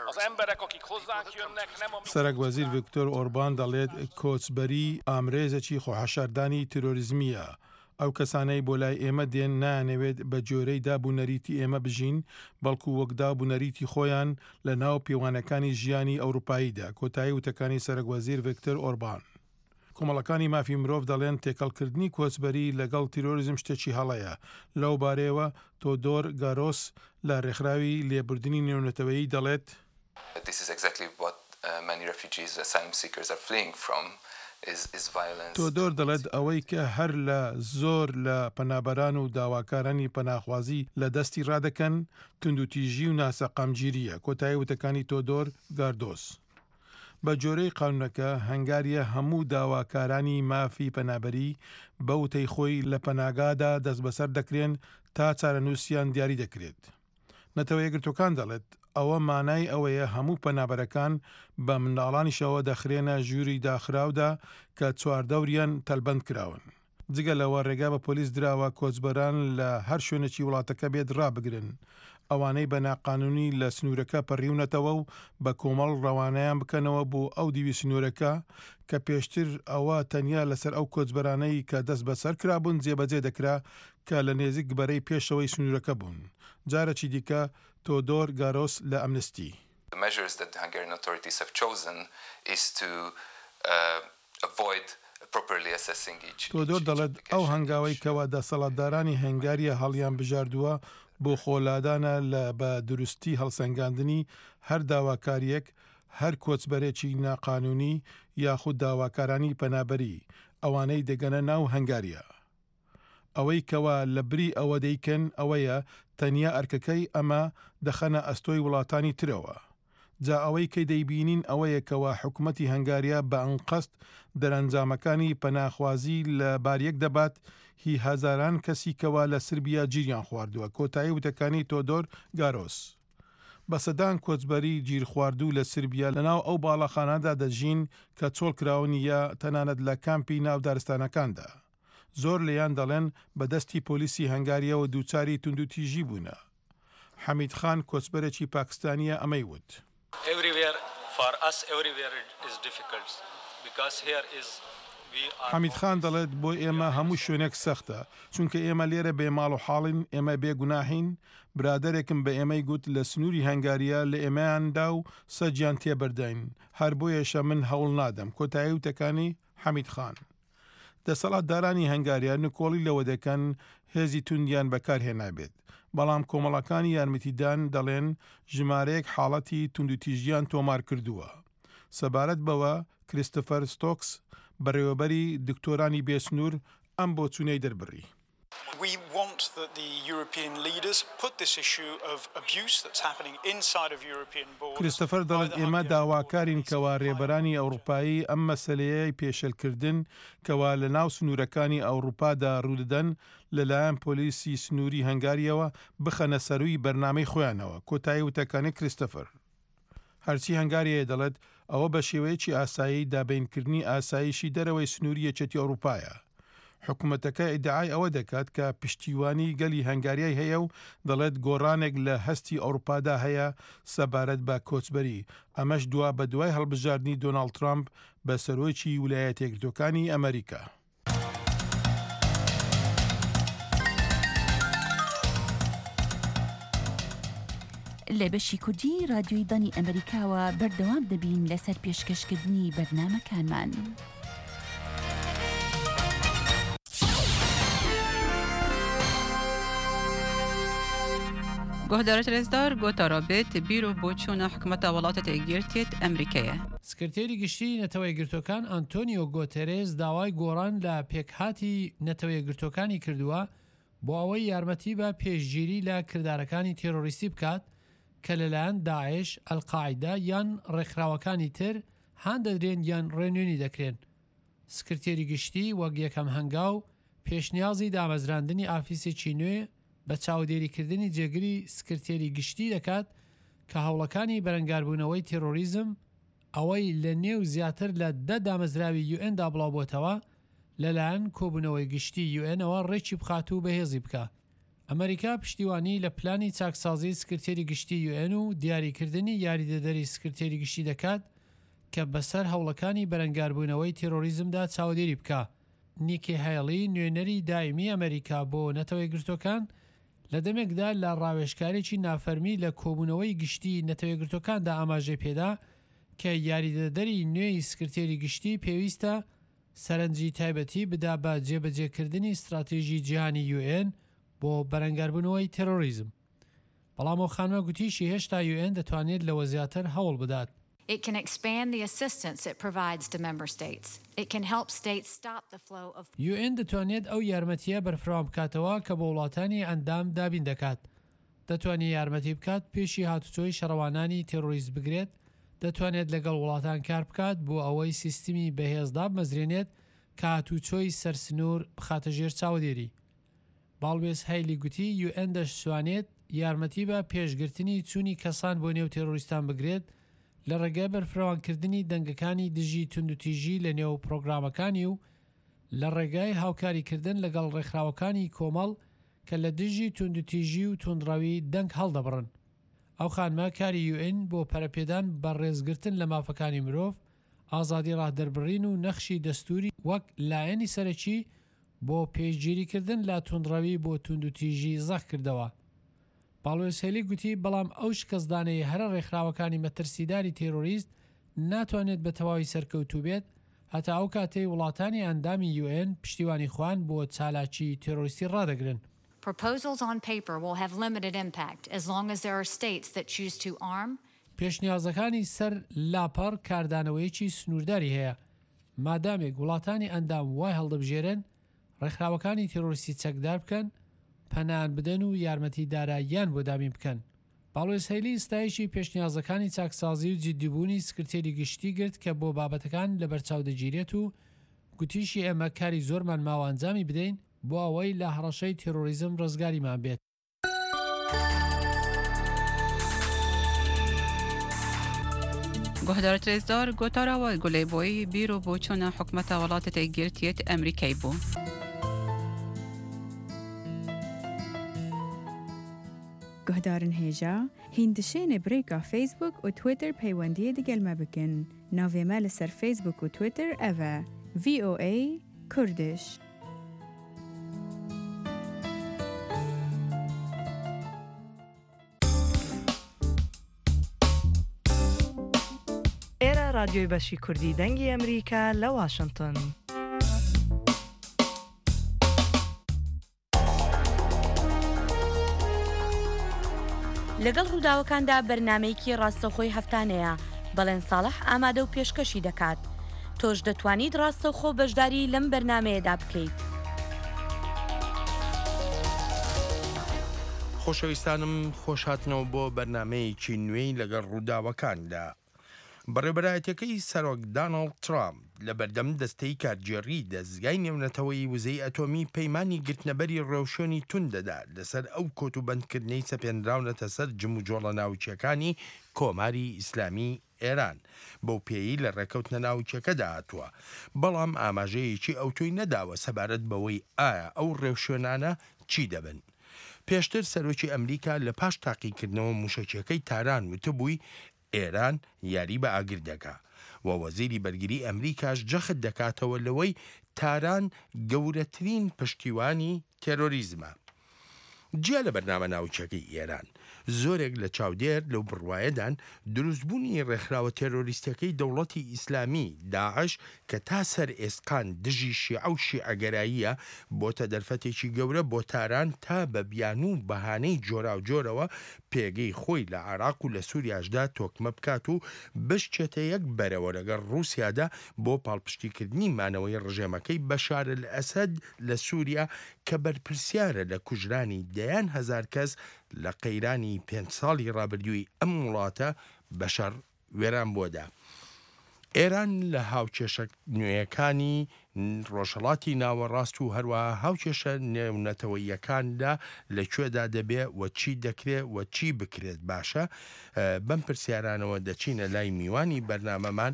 Az emberek, akik hozzánk jönnek, nem a... سەرەک وەزیر ڤیکتۆر ئۆربان دەڵێت کۆچبەری ئامرێزێکی خۆحەشاردانی تیرۆریزمییە. ئەو کەسانەی بۆ لای ئێمە دێن نایانەوێت بە جۆرەی داب و نەریتی ئێمە بژین، بەڵکو وەک داب و نەریتی خۆیان لە ناو پێوانەکانی ژیانی ئەوروپاییدا. کۆتایی وتەکانی سەرەک وەزیر ڤیکتۆر ئۆربان. کۆمەڵەکانی مافی مرۆڤ دەڵێن تێکەڵکردنی کۆچبەری لەگەڵ تیرۆریزم شتێکی هەڵەیە. لەو بارەیەوە تۆدۆر گارۆس لە ڕێکخراوی لێبوردنی نێونەتەوەیی دەڵێت، تۆدۆر دەڵێت ئەوەی کە هەر لە زۆر لە پەنابەران و داواکارانی پەناخوازی لە دەستی ڕادەکەن توندوتیژی و ناسەقامگیرییە. کۆتایی وتەکانی تۆدۆر گاردۆس. بە جۆرەی قانونەکە هەنگاریا هەموو داواکارانی مافی پەنابەری بە وتەی خۆی لە پەناگادا دەستبەسەر دەکرێن تا چارەنووسیان دیاری دەکرێت. نەتەوە یەکگرتووەکان دەڵێت ئەوە مانای ئەوەیە هەموو پەنابەرەکان بە منداڵانیشەوە دەخرێنە ژووری داخراودا کە چواردەوریان تەلبەند کراون. جگە لەوە ڕێگا بە پۆلیس دراوە کۆچبەران لە هەر شوێنێکی وڵاتەکە بێت ڕابگرن. ئەوانەی بە ناقانونی لە سنوورەکە پەڕیونەتەوە و بە کۆمەڵ ڕەوانەیان بکەنەوە بۆ ئەو دیوی سنوورەکە کە پێشتر ئەوە تەنیا لەسەر ئەو کۆچبەرانەی کە دەست بەسەر کرابوون جێبەجێ دەکرا کە لە نێزیک بەرەی پێشەوەی سنوورەکە بوون. جارێکی دیکە تۆدۆر گارۆس لە ئەمنستی. The measures that the Hungarian authorities have chosen is to uh, avoid properly assessing each تۆدۆر دەڵێت ئەو هەنگاوەی کەوا دەسەڵاتدارانی هەنگاریا هەڵیان بژاردووە بۆ خۆلادانە لە بە دروستی هەڵسەنگاندنی هەر داواکاریەک، هەر کۆچبەرێکی ناقانونی یاخود داواکارانی پەنابەری ئەوانەی دەگەنە ناو هەنگاریا. ئەوەی کەوا لە بری ئەوە دەیکەن ئەوەیە تەنیا ئەرکەکەی ئەمە دەخەنە ئەستۆی وڵاتانی ترەوە. جا ئەوەی کە دەیبینین ئەوەیە کەوا حکوومەتی هەنگاریا بە ئەنقەست دەرەنجامەکانی پەناخوازی لە باریەک دەبات هی هەزاران کەسی کەوا لە سربیا گیریان خواردووە. کۆتایی وتەکانی تۆدۆر گارۆس. بە سەدان کۆچبەری گیرخواردوو لە سربیا لەناو ئەو باڵەخانەدا دەژین کە چۆڵ کراون یا تەنانەت لە کامپی ناو دارستانەکاندا. زۆر لێیان دەڵێن بە دەستی پۆلیسی هەنگاریەوە دووچاری توندوتیژی بوونە. حەمید خان کۆچبەرێکی پاکستانیە ئەمەی وت. Everywhere for us everywhere is difficult because here is we are حەمید خان دەڵێت بۆ ئێمە هەموو شوێنێک سەختە، چونکە ئێمە لێرە بێ ماڵ و حاڵین، ئێمە بێ گوناحین. برادەرێکم بە ئێمەی گوت لە سنووری هەنگاریا لە ئێمەیاندا و سەجیان تێبەرداین، هەر بۆیەشە من هەوڵ نادەم. کۆتایی وتەکانی حەمید خان. دەسەڵاتدارانی هەنگاریا نکۆڵی لەوە دەکەن هێزی توندیان بەکارهێنابێت، بەڵام کۆمەڵەکانی یارمەتیدان دەڵێن ژمارەیەک حاڵەتی توندوتیژیان تۆمار کردووە. سەبارەت بەوە کریستۆفەر ستۆکس بەڕێوەبەری دکتۆرانی بێسنوور ئەم بۆچوونەی دەربڕی. We want that the European leaders put this issue of abuse that's happening inside of European borders. کریستۆفەر دەڵێت ئێمە داواکارین کەوا ڕێبەرانی ئەوروپایی ئەم مەسەلەیەی پێشێلکردن کەوا لە ناو سنوورەکانی ئەوروپادا ڕوودەدەن لەلایەن پۆلیسی سنووری هەنگاریەوە بخەنە سەرووی بەرنامەی خۆیانەوە. کۆتایی وتەکانی کریستۆفەر. هەرچی هەنگاریە دەڵێت ئەوە بە شێوەیەکی ئاسایی دابینکردنی ئاسایشی دەرەوەی سنووری یەکێتی ئەوروپایە. حکوومەتەکە ئیدعای ئەوە دەکات کە پشتیوانی گەلی هەنگاریای هەیە و دەڵێت گۆڕانێک لە هەستی ئەوروپادا هەیە سەبارەت بە کۆچبەری، ئەمەش دوا بە دوای هەڵبژاردنی دۆناڵد ترامپ بە سەرۆکی ویلایەتە یەکگرتووەکانی ئەمریکا. لە بەشی کوردی رادیۆی دەنگی ئەمریکاوە بەردەوام دەبین لەسەر پێشکەشکردنی بەرنامەکانمان. گۆهدارت رێزدار گۆتارا بێت بیر و بۆچوونە حکومەتە وڵاتە یەکگرتیت ئەمریکایە. سکرتێری گشتی نەتەوە یەکگرتووەکان ئەنتۆنیۆ گۆتێرێز داوای گۆڕان لە پێکهاتی نەتەوە یەکگرتووەکانی کردووە بۆ ئەوەی یارمەتی بە پێشگیری لە کردارەکانی تێرۆریستی بکات کە لەلایەن داعش، ئەلقاعیدە یان ڕێکخراوەکانی تر هان دەدرێن یان ڕێنوێنی دەکرێن. سکرتێری گشتی وەک یەکەم هەنگاو پێشنیازی دامەزراندنی ئافیسێکی نوێ بە چاودێریکردنی جێگری سکرتێری گشتی دەکات کە هەوڵەکانی بەرەنگاربوونەوەی تێرۆریزم ئەوەی لە نێو زیاتر لە دە دامەزراوی یوئێندا بڵاوبۆتەوە لەلایەن کۆبوونەوەی گشتی یوئێنەوە ڕێکی بخات و بەهێزی بکە. ئەمەریکا پشتیوانی لە پلانی چاکسازی سکرتێری گشتی یوئێن و دیاریکردنی یاریدەدەری سکرتێری گشتی دەکات کە بەسەر هەوڵەکانی بەرەنگاربوونەوەی تێرۆریزمدا چاودێری بکا. نیکی هەیڵی نوێنەری دایمی ئەمەریکا بۆ نەتەوە یەکگرتووەکان لە دەمێکدا لە ڕاوێژکارێکی نافەرمی لە کۆبوونەوەی گشتی نەتەوە یەکگرتووەکاندا ئاماژەی پێدا کە یاریدەدەری نوێی سکرتێری گشتی پێویستە سەرنجی تایبەتی بدا بە جێبەجێکردنی ستراتیژی جیهانی یوئێن بۆ بەرەنگاربوونەوەی تێرۆریزم. بەڵام ئەو خانمە گوتیشی هێشتا یوئێن دەتوانێت لەوە زیاتر هەوڵ بدات. It can expand the assistance it provides to member states. It can help states stop the flow of. یوئێن دەتوانێت ئەو یارمەتییە بەرفراوان بکاتەوە کە بۆ وڵاتانی ئەندام دابین دەکات. دەتوانێت یارمەتی بکات پێشی هاتوچۆی شەڕەوانانی تێرۆریست بگرێت. دەتوانێت لەگەڵ وڵاتان کار بکات بۆ ئەوەی سیستمی بەهێز دابمەزرێنێت کە هاتوچۆی سەرسنوور بخاتە ژێر چاودێری. باڵوێز هەیلی گوتی یوئێن دەشتوانێت یارمەتی بە پێشگرتنی چوونی کەسان بۆ نێو تێرۆریستان بگرێت لە ڕێگای بەرفراوانکردنی دەنگەکانی دژی توندوتیژی لە نێو پرۆگرامەکانی و لە ڕێگای هاوکاریکردن لەگەڵ ڕێکخراوەکانی کۆمەڵ کە لە دژی توندوتیژی و توندڕەوی دەنگ هەڵدەبڕن. ئەو خانمە کاری یوئێن بۆ پەرەپێدان بە ڕێزگرتن لە مافەکانی مرۆڤ، ئازادی ڕادەربڕین و نەخشی دەستوری وەک لایەنی سەرەکی بۆ پێشگیریکردن لە توندڕەوی بۆ توندوتیژی زەق کردەوە. باڵوێز هێلی گوتی بەڵام ئەو شکستدانەی هەرە ڕێکخراوەکانی مەترسیداری تێرۆریست ناتوانێت بە تەواوی سەرکەوتوو بێت هەتا ئەو کاتەی وڵاتانی ئەندامی یوئێن پشتیوانی خۆیان بۆ چالاکی تێرۆریستی ڕادەگرن. Proposals on paper will have limited impact as long as there are states that choose to arm. پێشنیازەکانی سەر لاپەڕ کاردانەوەیەکی سنوورداری هەیە مادامێک وڵاتانی ئەندام وای هەڵدەبژێرن ڕێکخراوەکانی تێرۆریستی چەکدار بکەن، پەنایان بدەن و یارمەتی داراییان بۆ دابین بکەن. باڵوێز هەیلی ستایشی پێشنیازەکانی چاکسازی و جدیبوونی سکرتێری گشتی گرت کە بۆ بابەتەکان لەبەرچاو دەگیرێت و گوتیشی ئێمە کاری زۆرمان ماوە ئەنجامی بدەین بۆ ئەوەی لە هەڕەشەی تێرۆریزم ڕزگاریمان بێت. گوهدار ترێزدار گوتارەوە گولەی بیر و بۆچوونە حکومەتە وڵاتە یەکگرتیەت ئەمریکای بوو. گوهدارن هێژا هیندشێنێ برێکا فەیسبوک و تویتر پەیوەندیە دگەل مە بکن. ناوێ مە لەسەر فەیسبوک و تویتر ئەڤە ڤی ئۆ ئەی کوردش. ئێرە رادیۆی بەشی کوردی دەنگی ئەمریکا لە واشنگتن. لەگەڵ ڕووداوەکاندا بەرنمەیەکی ڕاستەوخۆی هەفتانەیە بەڵێن ساڵح ئامادە و پێشکەشی دەکات. تۆش دەتوانیت ڕاستەوخۆ بەشداری لەم بەرنمەیەدا بکەیت. خۆشەویستانم خۆشهاتنەوە بۆ بەرنمەیەکی نوێی لەگەڵ ڕووداوەکاندا. بەڕێوەبەرایەتیەکەی سەرۆک داناڵد ترامپ لە بەردەم دەستەی کارگێڕی دەزگای نێونەتەوەی وزەی ئەتۆمی پەیمانی گرتنەبەری ڕێوشوێنی توند دەدا لەسەر ئەو کۆت و بەندکردنەی سەپێنراونەتە سەر جموجۆڵە ناوچیەکانی کۆماری ئیسلامی ئێران بەو پێیی لە ڕێکەوتنە ناوچەکەدا هاتووە، بەڵام ئاماژەیەکی ئەوتۆی نەداوە سەبارەت بەوەی ئایا ئەو ڕێوشوێنانە چی دەبن. پێشتر سەرۆکی ئەمریکا لە پاش تاقیکردنەوە موشەکیەکەی تاران وتبووی ئێران یاری بە ئاگر دەکا و وەزیری بەرگری ئەمریکاش جەخت دەکاتەوە لەوەی تاران گەورەترین پشتیوانی تێرۆریزمە. جیا لە بەرنامە ناوچەکەی ئێران زۆرێک لە چاودێر لەو بڕوایەدان دروستبوونی ڕێکخراوە تێرۆریستەکەی دەوڵەتی ئیسلامی داعش کە تا سەر ئێسقان دژی شیعە و شیعەگەراییە بۆتە دەرفەتێکی گەورە بۆ تاران تا بە بیانوو و بەهانەی جۆراوجۆرەوە پێگەی خۆی لە عێراق و لە سووریاشدا تۆکمە بکات و بشچێتە یەک بەرەوە لەگەڵ ڕووسیادا بۆ پاڵپشتیکردنی مانەوەی ڕژێمەکەی بەشار ئەلئەسەد لە سووریا کە بەرپرسیارە لە کوژرانی دەیان هەزار کەس لە قەیرانی پێنج ساڵی ڕابردووی ئەم وڵاتە بەشەر وێران بۆدا. ئێران لە هاوکێشە نوێیەکانی ڕۆژهەڵاتی ناوەڕاست و هەروەها هاوکێشە نێونەتەوەییەکاندا لە کوێدا دەبێ و چی دەکرێ و چی بکرێت باشە؟ بەم پرسیارانەوە دەچینە لای میوانی بەرنامەمان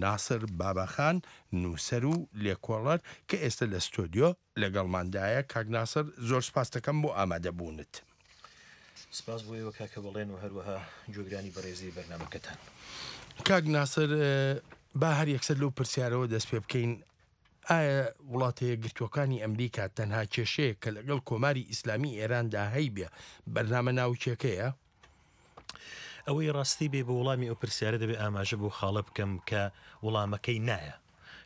ناسر باباخان، نووسەر و لێکۆڵەر کە ئێستا لە ستۆدیۆ لەگەڵماندایە. کاک ناسر، زۆر سپاس دەکەم بۆ ئامادەبوونت. سپاس بۆ ئێوە کاکە بەڵێن و هەروەها گوێگرانی بەڕێزی بەرنامەکەتان. کاک ناسر، با هەر یەکسەر لەو پرسیارەوە دەست پێ بکەین. ئایا وڵاتە یەکگرتووەکانی ئەمریکا تەنها کێشەیە کە لەگەڵ کۆماری ئیسلامی ئێراندا هەیبێ بەرنامە ناوکیەکەیە؟ ئەوەی ڕاستی بێ بۆ وەڵامی ئەو پرسیارە دەبێ ئاماژە بۆ خاڵە بکەم کە وەڵامەکەی نایە.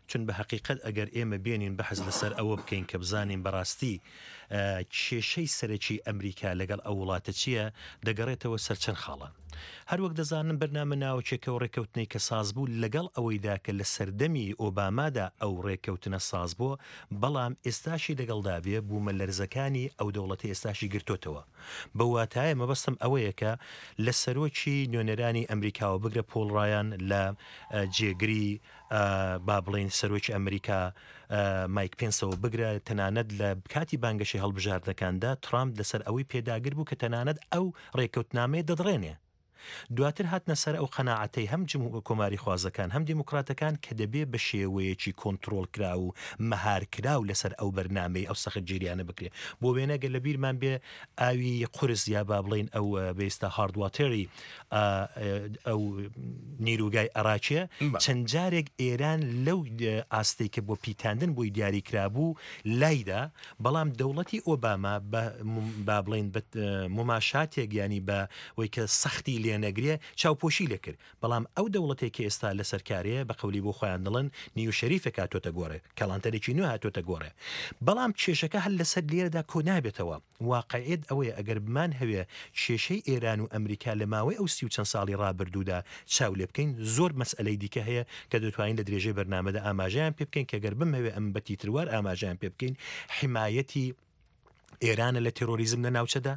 چون بە حەقیقەت ئەگەر ئێمە بێنین بەحث لەسەر ئەوە بکەین کە بزانین بەڕاستی کێشەی سەرەکی ئەمریکا لەگەڵ ئەو وڵاتە چییە، دەگەڕێتەوە سەر چەند خاڵان. هەروەک دەزانن بەرنامە ناوچێکە و ڕێککەوتنەی کە ساز بوو لەگەڵ ئەوەیدا کە لە سەردەمی ئۆبامادا ئەو ڕێککەوتنە ساز بووە، بەڵام ئێستاشی لەگەڵدا بێ بوومە لەرزەکانی ئەو دەوڵەتی ئێستاشی گرتوتەوە. بە واتایە مەبەستم ئەوەیە کە لە سەرۆکی نوێنەرانی ئەمریکاوە بگرە پۆڵ ڕایان لە جێگری با بڵێین سەرۆکی ئەمریکا مایک پێنسەوە بگرە، تەنانەت لە کاتی بانگەشەی هەڵبژاردنەکاندا ترامپ لەسەر ئەوەی پێداگر بوو کە تەنانەت ئەو ڕێککەوتنامەیە دەدڕێنێ. دواتر هاتنە سەر ئەو قەناعەتەی هەم کۆماری خوازەکان هەم دیموکراتەکان کە دەبێ بە شێوەیەکی کۆنترۆڵکراو و مەهارکراو لەسەر ئەو بەرنامەی ئەو سەختگیریانە بکرێ. بۆ وێنە گەر لە بیرمان بێ ئاوی قورس یا با بڵێین ئەو بێستا hard water ی ئەو نیروگای عراقیە، چەند جارێک ئێران لەو ئاستەی کە بۆ پیتاندن بۆی دیاری کرابوو لایدا، بەڵام دەوڵەتی ئۆباما با بڵێین مماشاتێک ینی بە وەی کە سەختی لێ نەگرێ چاوپۆشی لێکرد. بەڵام ئەو دەوڵەتێک کە ئێستا لەسەر کارەیە بە قەولی بۆ خۆیان دڵن نیو شەریفێک هاتۆتە گۆڕێ، کەڵانتەرێکی نوێ هاتۆتە گۆڕێ. بەڵام کێشەکە هەر لەسەر لێرەدا کۆ نابێتەوە. واقعیت ئەوەیە ئەگەر بمان هەوێ کێشەی ئێران و ئەمریکا لە ماوەی ئەو سی و چەند ساڵی ڕابردوودا چاو لێ بکەین، زۆر مەسئلەی دیکە هەیە کە دەتوانین لە درێژەی بەرنامەدا ئاماژەیان پێ بکەین کە گەر بمهەوێ ئەم بە تیتروار ئاماژەیان پێ بکەین، حمایەتی ئێرانە لە تێرۆریزم لە ناوچەدا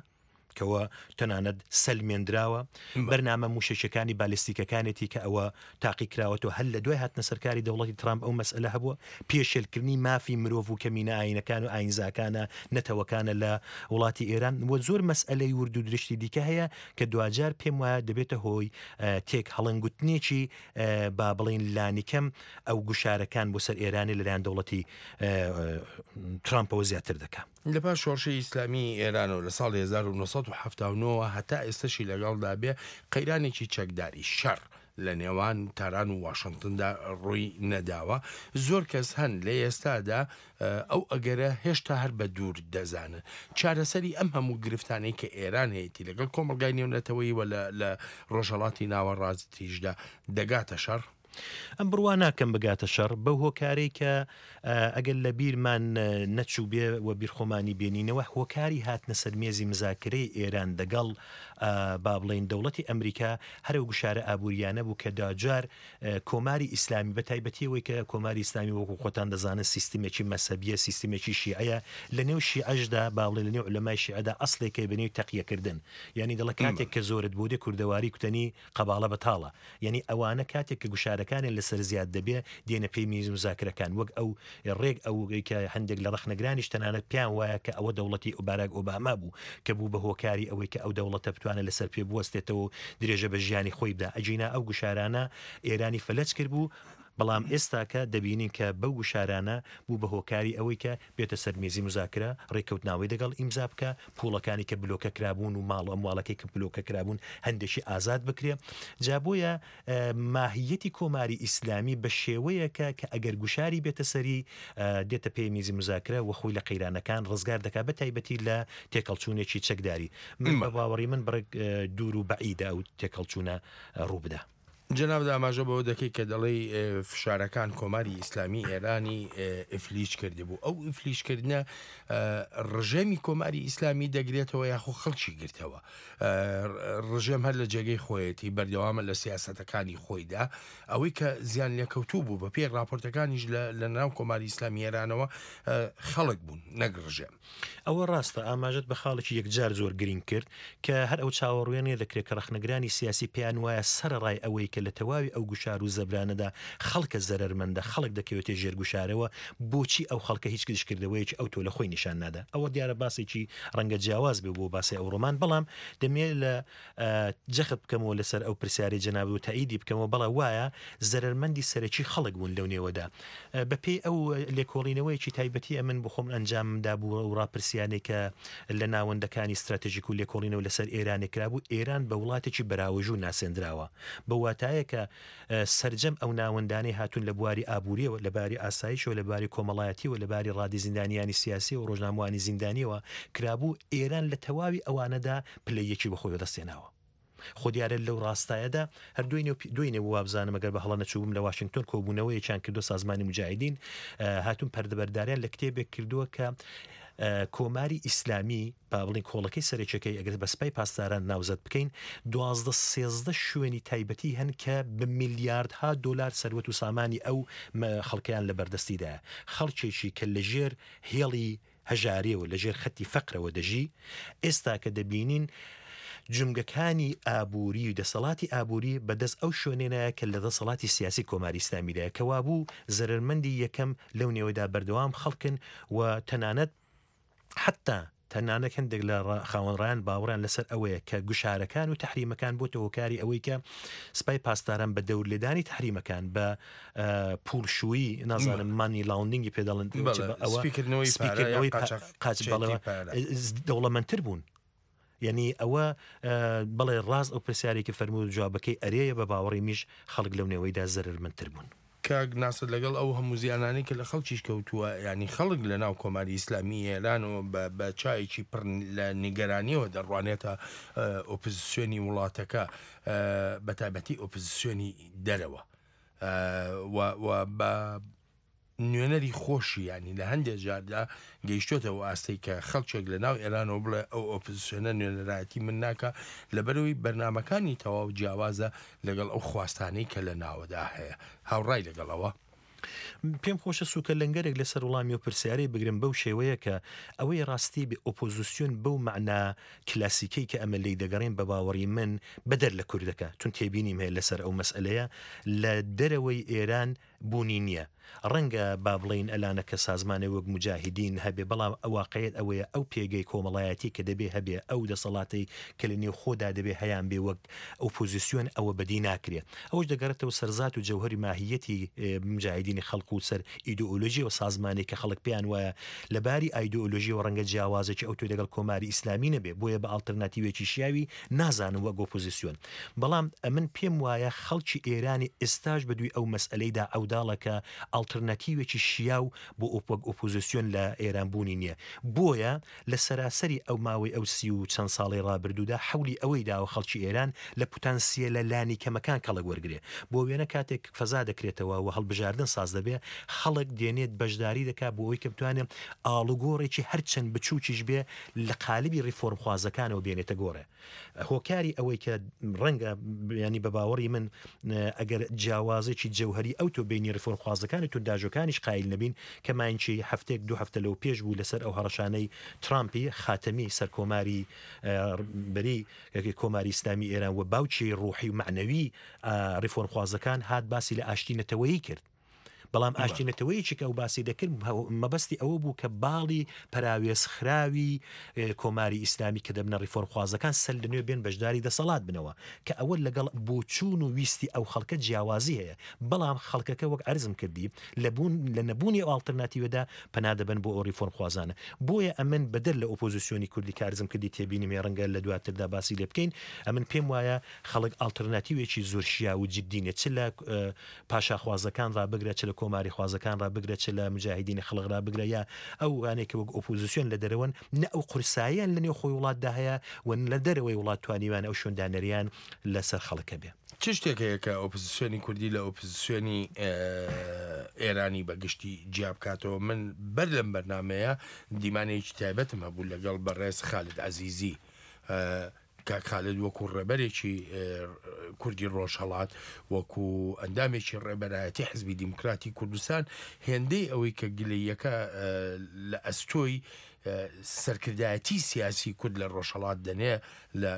کەوە تەنانەت سەلمێندراوە، بەرنامە موشەکەکانی بالستیکەکانێتی کە ئەوە تاقی کراوەتەوە هەر لە دوای هاتنە سەرکاری دەوڵەتی ترامپ ئەو مەسئلە هەبووە، پێشێلکردنی مافی مرۆڤ و کەمینە ئاینەکان و ئاینزاکانە نەتەوەکانە لە وڵاتی ئێران و زۆر مەسئلەی ورد و درشتی دیکە هەیە کە دواجار پێم وایە دەبێتە هۆی تێک هەڵەنگوتنێکی با بڵین لانیکەم ئەو گوشارەکان بۆ سەر ئێرانی لەلایەن دەوڵەتی ترامپەوە زیاتر دەکات. لە پاش شۆڕشی ئیسلامی ئێرانەوە لە ساڵی هەزار و نۆ سەد و حەفتا و نۆ هەتا ئێستەشی لەگەڵدا بێ قەیرانێکی چەکداری شەڕ لە نێوان تاران و واشنگتندا ڕووی نەداوە. زۆر کەس هەن لە ئێستادا ئەو ئەگەرە هێشتا هەر بە دوور دەزانن. چارەسەری ئەم هەموو گرفتانەی کە ئێران هەیەی لەگەڵ کۆمەڵگای نێونەتەوەیی و لە ڕۆژهەڵاتی ناوەڕاستیشدا دەگاتە شەڕ؟ ئەم بڕوا ناکەم بگاتە شەڕ بەو هۆکارەی کە ئەگەر لە بیرمان نەچوو بێ و بیرخۆمانی بێنینەوە، هۆکاری هاتنە سەر مێزی مزاکرەی ئێران دەگەڵ با بڵێین دەوڵەتی ئەمریکا هەر ئەو گوشارە ئابووریانە بوو کە داجار کۆماری ئیسلامی بە تایبەتیەوەی کە کۆماری ئیسلامی وەکو خۆتان دەزانن سیستمێکی مەسەبیە، سیستمێکی شیعەیە، لە نێو شیعەشدا با بڵێن لە نێو عولەمای شیعەدا ئەسڵێکەی بە نێو تەقیەکردن، یعنی دەڵێ کاتێک کە زۆرت بۆ دێ کوردەواری کوتەنی قەباڵە بەتاڵە، یعنی ئەوانە کاتێک کە گوشارەکانیان لەسەر زیاد دەبێ دێنە پێی میز مزاکرەکان، وەک ئەو ڕێک ئەو کە هەندێک لە ڕەخنەگرانیش تەنانەت پێیان وایە کە ئەوە دەوڵەتی باراک ئۆباما بوو کە بوو بە هۆکاری ئەوەی کە ئەو دەوڵەتە بتوانێت لەسەر پێ بوەستێتەوە و درێژە بە ژیانی خۆی بدا. ئەگینا ئەو گوشارانە ئێرانی فەلەج کرد بوو، بەڵام ئێستاکە دەبینین کە بەو گوشارانە بوو بە هۆکاری ئەوەی کە بێتە سەر مێزی مزاکرە، ڕێککەوتناوەی دەگەڵ ئیمزا بکە، پوڵەکانی کە بلۆکە کرابوون و ماڵ و ئەمواڵەکەی کە بلۆکە کرابوون هەندێکی ئازاد بکرێ. جا بۆیە ماهیەتی کۆماری ئیسلامی بە شێوەیەکە کە ئەگەر گوشاری بێتە سەری دێتە پێی میزی مزاکرە و خۆی لە قەیرانەکان ڕزگار دەکات، بە تایبەتی لە تێکەڵچوونێکی چەکداری. من بە باوەڕی من بڕێک دوور و بەعیدە ئەو تێکەڵچوونە ڕوو بدا. جەناب ئاماژە بەوە دەکەی کە دەڵێی فشارەکان کۆماری ئیسلامی ئێرانی ئیفلیج کردبوو. ئەو ئیفلیجکردنە ڕژێمی کۆماری ئیسلامی دەگرێتەوە یاخۆ خەڵکی گرتەوە؟ ڕژێم هەر لە جێگەی خۆیەتی، بەردەوامە لە سیاسەتەکانی خۆیدا. ئەوەی کە زیان لێکەوتوو بوو بە پێی راپۆرتەکانیش لە ناو کۆماری ئیسلامی ئێرانەوە خەڵک بوون نەک ڕژێم. ئەوە ڕاستە، ئاماژەت بە خاڵێکی یەکجار زۆر گرنگ کرد کە هەر ئەو چاوەڕوێنێ دەکرێت کە ڕەخنەگرانی سیاسی پێیان وایە سەرەڕای ئەوەی کە لە تەواوی ئەو گوشار و زەبرانەدا خەڵکە زەرەرمەندە، خەڵک دەکەوێتە ژێر گوشارەوە، بۆچی ئەو خەڵکە هیچ دژکردەوەیەکی ئەوتۆ لە خۆی نیشان نادا؟ ئەوە دیارە باسێکی ڕەنگە جیاواز بێ بۆ باسی ئەو ڕۆمان، بەڵام دەمێ لە جەخت بکەمەوە لەسەر ئەو پرسیارەی جەنابت و تەئیدی بکەمەوە، بەڵێ وایە زەرەرمەندی سەرەکی خەڵک بوون لەو نێوەدا. بەپێی ئەو لێکۆڵینەوەیەکی تایبەتی ئەمن بۆ خۆم ئەنجامم دابوو و ڕاپرسیانێک کە لە ناوەندەکانی ستراتژیک و لێکۆڵینەوە لەسەر ئێرانێک کرابوو، ئێران بە وڵاتێکی بەراوەژوو ناسێندراوە، بە واتایە کە سەرجەم ئەو ناوەندانەی هاتوون لە بواری ئابووریەوە، لە باری ئاسایشەوە، لە باری کۆمەڵایەتیەوە، لە باری ڕادی زیندانیانی سیاسی و ڕۆژنامەوانی زیندانیەوە کرابوو، ئێران لە تەواوی ئەوانەدا پلەی یەکی بەخۆی بەدەستێناوە. خۆ دیارە لەو ڕاستایەدا هەر دوێنێ وابزانم ئەگەر بە هەڵە نەچووبم لە واشنگتۆن کۆبوونەوەیەکیان کردو سازمانی مجاهدین هاتوون پەردەبەرداریان لە کتێبێک کردووە کە کۆماری ئیسلامی با بڵین کۆڵەکەی سەرەکیەکەی ئەگەر بە سپای پاسداران ناوزەد بکەین دوازدە سێزدە شوێنی تایبەتی هەن کە بە میلیاردها دلار سەروەت و سامانی ئەو خەڵکیان لە بەردەستیدایە، خەڵکێکی کە لەژێر هێڵی هەژاریەوە لەژێر خەتی فەقرەوە دەژی، ئێستا کە دەبینین جمگەکانی ئابووری و دەسەڵاتی ئابووری بەدەست ئەو شوێنێنایە کە لە دەسەڵاتی سیاسی کۆماری ئیسلامیدایە، کە وابوو زەرەرمەندی یەکەم لەو نێوەدا بەردەوام خەڵکن و تەنانەت حتا تەنانەت هەندێک لە خاوەنڕایان باوەڕیان لەسەر ئەوەیە کە گوشارەکان و تحریمەکان بۆتە هۆکاری ئەوەی کە سپای پاسداران بە دەورلێدانی تحریمەکان بە پوڵشوویی نازانم مانی لاوندینگی پێ دەڵێن ئەوە سپیکردنەوەی قاچ بەڵێ دەوڵەمەندتر بوون. یعنی ئەوە بەڵێ ڕاست ئەو پرسیارێکی فەرموو جوابەکەی ئەرێیە، بە باوەڕی میش خەڵک لەو نێوەیدا زەرەرمەندتر بوون. کاک ناسر لەگەڵ ئەو هەموو زیانانەی کە لە خەڵکیش کەوتووە، ینی خەڵک لە ناو کۆماری ئیسلامی ئێرانەوە بە چایەکی پڕ لە نیگەرانیەوە دەڕوانێتە ئۆپۆزیسیۆنی وڵاتەکە، بە تایبەتی ئۆپۆزیسیۆنی دەرەوە و بە نوێنەری خۆشی، ینی لە هەندێک جاردا گەیشتۆتەوە ئاستەی کە خەڵکێک لە ناو ئێرانەوە بڵێ ئەو ئۆپۆزیسیۆنە نوێنەرایەتی من ناکە، لەبەرەوەی بەرنامەکانی تەواو جیاوازە لەگەڵ ئەو خواستانەی کە لە ناوەدا هەیە. هاوڕای لەگەڵەوە؟ پێم خۆشە سوکە لەنگەرێک لەسەر وڵامی و پرسیارەی بگرم بەو شێوەیە کە ئەوەی ڕاستی بێ ئۆپۆزیسیۆن بەو مەعنا کلاسیکەی کە ئەمە لێی دەگەڕێن بە باوەڕی من بەدەر لە کوردەکە، چون تێبینیم هەیە لەسەر ئەو مەسئلەیە لە دەرەوەی ئێران بوونی نییە. ڕەنگە با بڵین ئەلانە کە سازمانێ وەک مجاهدین هەبێ، بەڵام واقعیت ئەوەیە ئەو پێگەی کۆمەڵایەتی کە دەبێ هەبێ، ئەو دەسەڵاتی کە لە نێو خۆدا دەبێ هەیان بێ وەک ئۆپۆزیسیۆن ئەوە بەدی ناکرێ. ئەوش دەگەڕێتەوە سەرزات و جەوهری ماهیەتی مجاهدینی خەڵک و سەر ئیدۆلۆژی و سازمانێک کە خەڵک پێیان وایە لەباری ئایدۆلۆژیەوە ڕەنگە جیاوازێکی ئەو تۆ لەگەڵ کۆماری ئیسلامی نەبێ، بۆیە بە ئاڵتەرناتیوێکی شیاوی نازانم وەک ئۆپۆزیسیۆن. بەڵام ئەمن پێم وایە خەڵکی ئێرانی ئێستاش بەدووی ئەو مەسئلەیدا عەوداڵە کە ئاڵتەرناتیوێکی شیاو بۆ وەک ئۆپۆزیسیۆن لە ئێران بوونی نییە. بۆیە لە سەراسەری ئەو ماوەی ئەو سی و چەند ساڵی ڕابردوودا حەولی ئەوەی داوە خەڵکی ئێران لە پوتانسیەلە لانی کەمەکان کەڵک وەرگێ. بۆ وێنە کاتێک فەزا دەکرێتەوە و هەڵبژاردن ساز دەبێ، خەڵک دێنێت بەشداری دەکات بۆ ئەوەی کە بتوانێت ئاڵوگۆڕێکی هەرچەند بچووکیش بێ لە قالبی ڕیفۆرمخوازەکانەوە بێنێتە گۆڕێ. هۆکاری ئەوەی کە ڕەنگە ینی بە باوەڕی من ئەگەر جیاوازێکی جەوهری ئەو تۆ بینی ڕیفۆرمخوازەکان و تونداژۆکانیش قایل نەبین کە ماینچی هەفتێک دوو هەفتە لەو پێش بوو لەسەر ئەو هەڕەشانەی ترامپی خاتەمی سەرکۆماری بەری کۆماری ئیسلامی ئێران و باوکی ڕوحی و مەعنەوی ڕیفۆرمخوازەکان هات باسی لە ئاشتی نەتەوەیی کرد. بەڵام ئاشتی نەتەوەیەکی کە ئەو باسی دەکرد مەبەستی ئەوە بوو کە باڵی پەراوێزخراوی کۆماری ئیسلامی کە دەبنە ڕیفۆرمخوازەکان سەر لە نوێ بێن بەشداری دەسەڵات بنەوە، کە ئەوە لەگەڵ بۆچوون و ویستی ئەو خەڵکە جیاوازی هەیە. بەڵام خەڵکەکە وەک عەرزم کردی لە نەبوونی ئەو ئاڵتەرناتیوەدا پەنا دەبن بۆ ئەو ڕیفۆرمخوازانە. بۆیە ئەمن بەدەر لە ئۆپۆزیسیۆنی کوردی کە عەرزم کردی تێبینیم هەیە ڕەنگە لە دواتردا باسی لێ بکەین، ئەمن پێم وایە خەڵک ئاڵتەرناتیوێکی زۆر شیاو و جدی نیە، چ لە پاشاخوازەکان ڕابگرە، چ لە کۆماری خوازەکان ڕابگرە، چ لە مجاهدینی خەڵک ڕابگرە، یا ئەو وانەیە وەک ئۆپۆزیسیۆن لە دەرەوەن، نە ئەو قورساییان لە نێو خۆی وڵاتدا هەیە و لە دەرەوەی وڵات توانیوان ئەو شوێندانەریان لەسەر خەڵکە بێ. چ شتێک هەیە کە ئۆپۆزیسیۆنی کوردی لە ئۆپۆزیسیۆنی ئێرانی بەگشتی جیا بکاتەوە؟ من بەر لەم بەرنامەیە دیمانەیەکی تایبەتم هەبوو لەگەڵ بەڕێز خالد عەزیزی. کاک خالد وەکو ڕێبەرێکی کوردی ڕۆژهەڵات، وەکو ئەندامێکی ڕێبەرایەتی حزبی دیموکراتی کوردستان، هێندەی ئەوەی کە گلەیەکە لە ئەستۆی سەرکردایەتی سیاسی کورد لە ڕۆژهەڵات دەنێ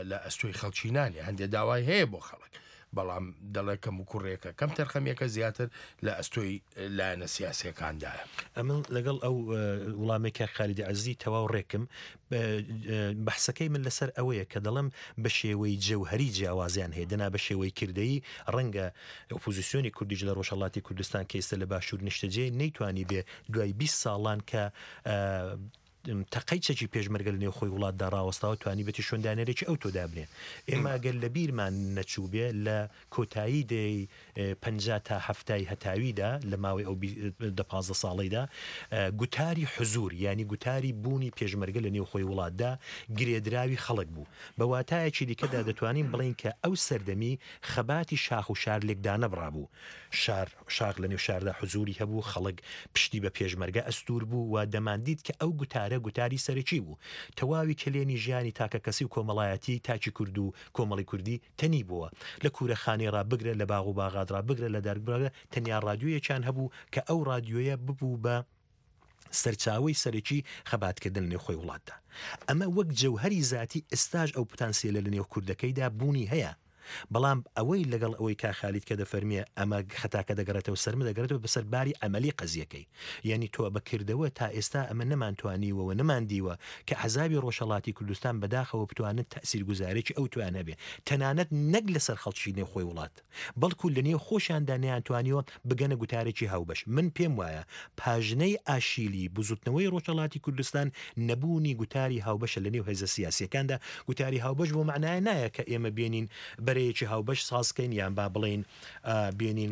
لە ئەستۆی خەڵکی نانێ، هەندێک داوای هەیە بۆ خەڵک، بەڵام دەڵێ کەموکوڕیەکە کەم تەرخەمیەکە زیاتر لە ئەستۆی لایەنە سیاسیەکاندایە. ئەمن لەگەڵ ئەو وڵامەی کاک خالیدی عەزیزی تەواو ڕێکم. بەحسەکەی من لەسەر ئەوەیە کە دەڵێم بە شێوەی جەوهەری جیاوازیان هەیە، دەنا بە شێوەی کردەیی ڕەنگە ئۆپۆزیسیۆنی کوردیش لە ڕۆژهەڵاتی کوردستان کە ئێستا لە باشوور نیشتەجێ نەیتوانی بێ دوای بیست ساڵان کە تەقەی چەکی پێشمەرگە لە نێوخۆی وڵاتدا ڕاوەستاوە توانیبێتی شوێندانەرێکی ئەو تۆ دابنێ. ئێمە ئەگەر لە بیرمان نەچوو بێ لە کۆتایی دەی پەنجا تا هەفتای هەتاویدا لە ماوەی ئەو دە پازدە ساڵەیدا گوتاری حزوور یعنی گوتاری بوونی پێشمەرگە لە نێوخۆی وڵاتدا گرێدراوی خەڵک بوو. بە واتایەکی دیکەدا دەتوانین بڵێین کە ئەو سەردەمی خەباتی شاخ و شار لێکدانەبڕا بوو. شار شاخ لە نێو شاردا حزووری هەبوو، خەڵک پشتی بە پێشمەرگە ئەستوور بوو و دەماندیت کە ئەو گوتارە گوتاری سەرەکی بوو. تەواوی کەلێنی ژیانی تاکە کەسی و کۆمەڵایەتی تاکی کورد و کۆمەڵی کوردی تەنی بووە. لە کوورەخانەی ڕا بگرە، لە باغ و باغات ڕا بگرە، لە دارک بگرە، تەنیا ڕادیۆیەکیان هەبوو کە ئەو ڕادیۆیە ببوو بە سەرچاوەی سەرەکی خەباتکردن لە نێوخۆی وڵاتدا. ئەمە وەک جەوهەری زاتی ئێستاش ئەو پتانسیلە لە نێو کوردەکەیدا بوونی هەیە. بەڵام ئەوەی لەگەڵ ئەوەی کا خالید کە دەفەرمیە ئەمە خەتاکە دەگەڕێتەوە سەرمە دەگەڕێتەوە بەسەر باری عەمەلی قەزیەکەی. یعنی تۆ بەکردەوە تا ئێستا ئەمە نەمانتوانیوە و نەماندیوە کە عەزابی ڕۆژهەڵاتی کوردستان بەداخەوە بتوانن تەئسیرگوزارێکی ئەو توان هەبێ، تەنانەت نەک لەسەر خەڵکی نێوخۆی وڵات، بەڵکو لە نێو خۆشیاندا نەیانتوانیوە بگەنە گوتارێکی هاوبەش. من پێم وایە پاژنەی ئاشیلی بزوتنەوەی ڕۆژهەڵاتی کوردستان نەبوونی گوتاری هاوبەشە لە نێو هێزە سیاسیەکاندا. گوتاری هاوبەش بۆ معنایە نایە کە ئێمە بێنین بەرەیەکی هاوبەش سازکەین یان با بڵێین بێنین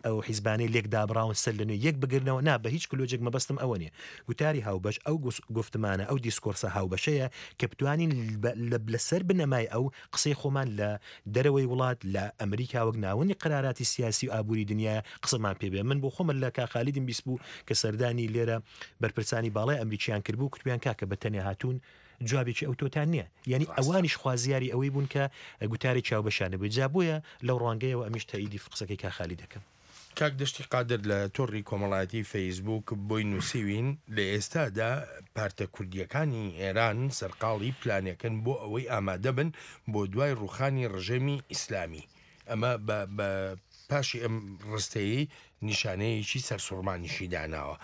ئەو حیزبانەی لێک دابراون سەر لە نوێ یەک بگرنەوە. نا، بە هیچ کلۆجێک مەبەستم ئەوە نییە. گوتاری هاوبەش ئەو گفتمانە، ئەو دیسکۆرسە هاوبەشەیە کە بتوانین لەسەر بنەمای ئەو قسەی خۆمان لە دەرەوەی وڵات لە ئەمریکا وەک ناوەندی قەراراتی سیاسی و ئابووری دنیا قسەمان پێ بێ. من بۆ خۆمە لە کا خالیدم بیست بوو کە سەردانی لێرە بەرپرسانی باڵای ئەمریکیان کردبوو، کوتبیان کاکە بە تەنیا هاتوون جوابێکی ئەو تۆتان نییە. یعنی ئەوانیش خوازیاری ئەوەی بوون کە گوتارێکی هاوبەشانە بوو. جا بۆیە لەو ڕوانگەیەوە ئەمیش تەئیدی قسەکەی کا خالی دەکەم. کاک دەشتی قادر لە تۆڕی کۆمەڵایەتی فەیسبوک بۆی نووسیوین لە ئێستادا پارتە کوردیەکانی ئێران سەرقاڵی پلانێکن بۆ ئەوەی ئامادە بن بۆ دوای ڕوخانی ڕژێمی ئیسلامی. ئەمە بە پاشی ئەم ڕستەیەی نیشانەیەکی سەرسوڕمانیشی داناوە.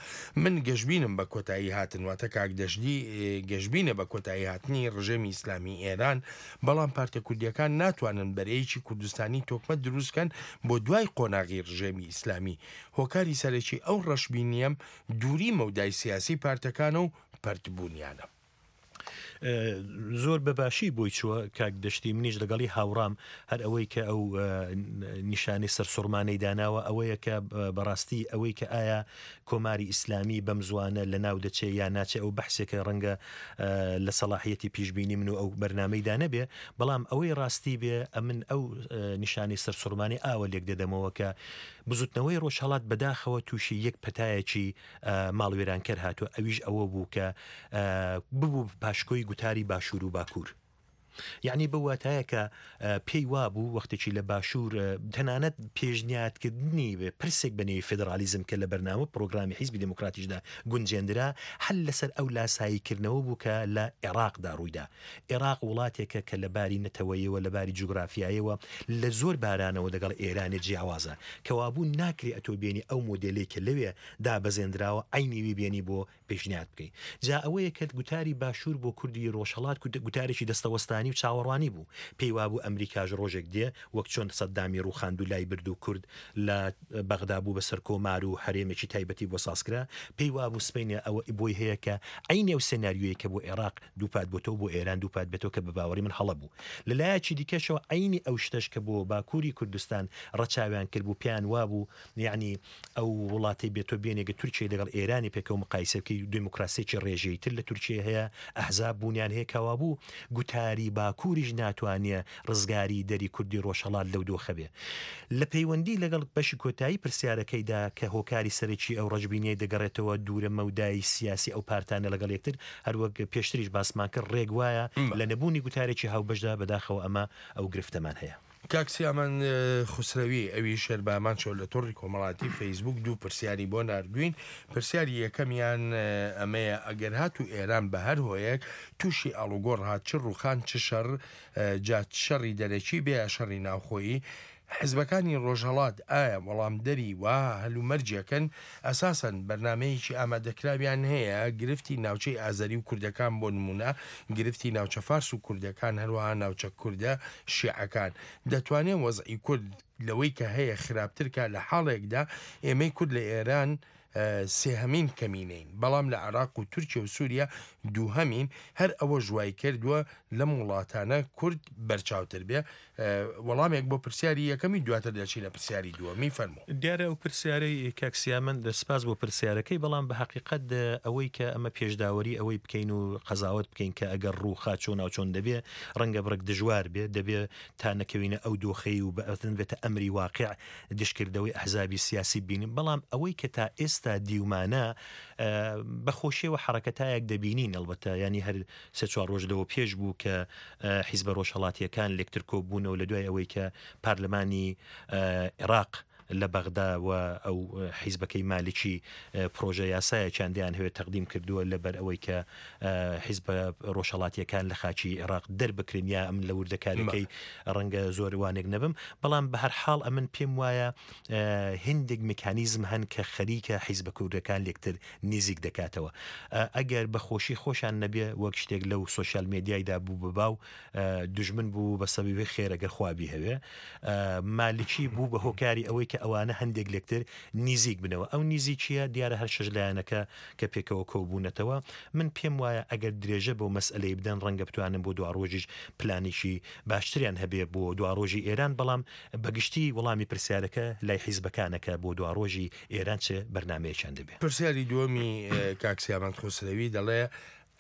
من گەشبینم بە کۆتایی هاتن، واتە کاک دەشتی گەشبینە بە کۆتایی هاتنی ڕژێمی ئیسلامی ئێران، بەڵام پارتە کوردیەکان ناتوانن بەرەیەکی کوردستانی تۆکمە دروستکەن بۆ دوای قۆناغی ڕژێمی ئیسلامی. هۆکاری سەرەکی ئەو ڕەشبینیەم دووری مەودای سیاسی پارتەکان و پەرتبوونیانە. زۆر بەباشی بۆی چووە کاک دەشتی، منیش لەگەڵی هاوڕام. هەر ئەوەی کە ئەو نیشانەی سەرسوڕمانەی داناوە ئەوەیە کە بەڕاستی ئەوەی کە ئایا کۆماری ئیسلامی بەم زوانە لە ناو دەچێ یا ناچێ ئەو بەحسێکە ڕەنگە لە سەلاحیەتی پیشبینی من و ئەو بەرنامەیدا نەبێ. بەڵام ئەوەی ڕاستی بێ ئەمن ئەو نیشانەی سەرسوڕمانی ئاوە لێک دەدەمەوە کە بزوتنەوەی ڕۆژهەڵات بەداخەوە تووشی یەک پەتایەکی ماڵوێرانکەر هاتووە، ئەویش ئەوە بوو کە ببوو پاشکۆی گوتاری باشوور و باکوور. یعنی بە واتایە کە پێی وابوو وەختێکی لە باشوور تەنانەت پێشنیادکردنی پرسێک بە نێوی فێدرالیزم کە لە بەرنامە پرۆگرامی حیزبی دێموکراتیشدا گونجێندرا، هەل لەسەر ئەو لاساییکردنەوە بوو کە لە عێراقدا ڕوویدا. عێراق وڵاتێکە کە لە باری نەتەوەیەوە لە باری جوگرافیایەوە لە زۆر بارانەوە دەگەڵ ئێرانێ جیاوازە، کەوابوو ناکرێ ئەتۆ بێنی ئەو مۆدێلەی کە لەوێ دابەزێنراوە عەینی بێنی بۆ پێشنیاد بکەی. جا ئەوەیە کە گوتاری باشوور بۆ کوردی ڕۆژهەڵات گوتارێکی دەستەوەستانی و چاوەڕوانی بوو. پێی وابوو ئەمریکاش ڕۆژێک دێ وەک چۆن سەدامی ڕووخاند و لای برد و کورد لە بەغدا بوو بە سەرکۆمار و هەرێمێکی تایبەتی بۆ سازکرا، پێی وابوو سبەینێ ئەوە بۆی هەیە کە عەینی ئەو سێناریۆیە کە بۆ عێراق دووپات بۆتەوە بۆ ئێران دووپات بێتەوە کە بە باوەڕی من هەڵە بوو. لە لایەکی دیکەشەوە عەینی ئەو شتەش کە بۆ باکووری کوردستان ڕەچاویان کرد بوو، پێیان وابوو یعنی ئەو وڵاتەی بێتۆ بێنێگە تورکیای لەگەڵ ئێرانی پێکەوە مقایسە بکەی، دێموکراسیەکی ڕێژەییتر لە تورکیا هەیە، ئەحزاب بوونیان هەیە، کەوابوو گوتاری باکووریش ناتوانێ ڕزگاری دەری کوردی ڕۆژهەڵات لەو دۆخە بێ. لە پەیوەندی لەگەڵ بەشی کۆتایی پرسیارەکەیدا کە هۆکاری سەرەکی ئەو ڕەشبینیەی دەگەڕێتەوە دوورە مەودای سیاسی ئەو پارتانە لەگەڵ یەکتر، هەروەک پێشتریش باسمان کرد ڕێک وایە لە نەبوونی گوتارێکی هاوبەشدا بەداخەوە ئەمە ئەو گرفتەمان هەیە. کاک سیامان خسرەوی ئەوی شەربامان چۆ لە تۆڕی کۆمەڵاتی فەیسبوک دوو پرسیاری بۆ ناردوین. پرسیاری یەکەمیان ئەمەیە ئەگەر هاتو ئێران بە هەر هۆیەک تووشی ئاڵوگۆڕ هات، چ ڕوخان چ شەڕ، جا شەڕی دەرەکی بێ یا شەڕی ناوخۆیی، حیزبەکانی ڕۆژهەڵات ئایا وەڵامدەری وەها هەلومەرجێکن؟ ئەساسەن بەرنامەیەکی ئامادەکراویان هەیە؟ گرفتی ناوچەی ئازەری و کوردەکان بۆ نموونە، گرفتی ناوچە فارس و کوردەکان، هەروەها ناوچە کوردە شیعەکان، دەتوانێ وەزعی کورد لەوەی کە هەیە خراپتر کا لە حاڵێکدا ئێمەی کورد لە ئێران سێهەمین کەمینەین، بەڵام لە عێراق و تورکیە و سوریە دووهەمین، هەر ئەوەش وای کردووە لەم وڵاتانە کورد بەرچاوتر بێ. وەڵامێک بۆ پرسیاری یەکەمی، دواتر دەچینە پرسیاری دووەمی، فەرموو. دیارە ئەو پرسیارەی کاک سیامەند، سپاس بۆ پرسیارەکەی، بەڵام بە حەقیقەت ئەوەی کە ئەمە پێشداوەری ئەوەی بکەین و قەزاوەت بکەین کە ئەگەر ڕووخا چۆن و چۆن دەبێ، ڕەنگە بڕێک دژوار بێ، دەبێ تا نەکەوینە ئەو دۆخەی و بە بێتە ئەمری واقع دژکردەوەی ئەحزابی سیاسی ببینین. بەڵام ئەوەی کە تا ئێستا دیومانە بە خۆشیەوە حەرەکەتایەک دەبینین، ئەڵبەتە ینی هەر سێ چوار ڕۆژ لەوە پێش بوو کە حیزبە ڕۆژهەڵاتیەکان لێکتر کۆبوونەوە لە دوای ئەوەی کە پارلەمانی عێراق لە بەغدا و ئەو حیزبەکەی مالکی پرۆژە یاسایەکیان دەیان هەوێت تەقدیم کردووە لەبەر ئەوەی کە حیزبە ڕۆژهەڵاتیەکان لە خاکی عێراق دەربکرێن، یا ئەمن لە وردەکاریەکەی ڕەنگە زۆر وانێک نەبم، بەڵام بە هەر حاڵ ئەمن پێم وایە هندێک میکانیزم هەن کە خەریکە حیزبە کوردەکان لێکتر نزیک دەکاتەوە. ئەگەر بە خۆشی خۆشان نەبێ وەک شتێک لەو سۆشیال میدیایدا بوو بە باو، دژمن بوو بە سەبەبی خێر ئەگەر خوا بیهەوێ، مالکی بوو بە هۆکاری ئەوەی کە ئەوانە هەندێک لێکتر نزیک بنەوە. ئەو نزیکیە دیارە هەر شەش لایەنەکە کە پێکەوە کۆبوونەتەوە. من پێم وایە ئەگەر درێژە بۆ مەسئلەی بدەن ڕەنگە بتوانن بۆ دواڕۆژیش پلانێکی باشتریان هەبێ بۆ دواڕۆژی ئێران، بەڵام بەگشتی وەڵامی پرسیارەکە لای حیزبەکانەکە بۆ دواڕۆژی ئێران چه بەرنمەیەکیان دەبێ. پرسیاری دووەمی کاک سیامەند خسرەوی دەڵێ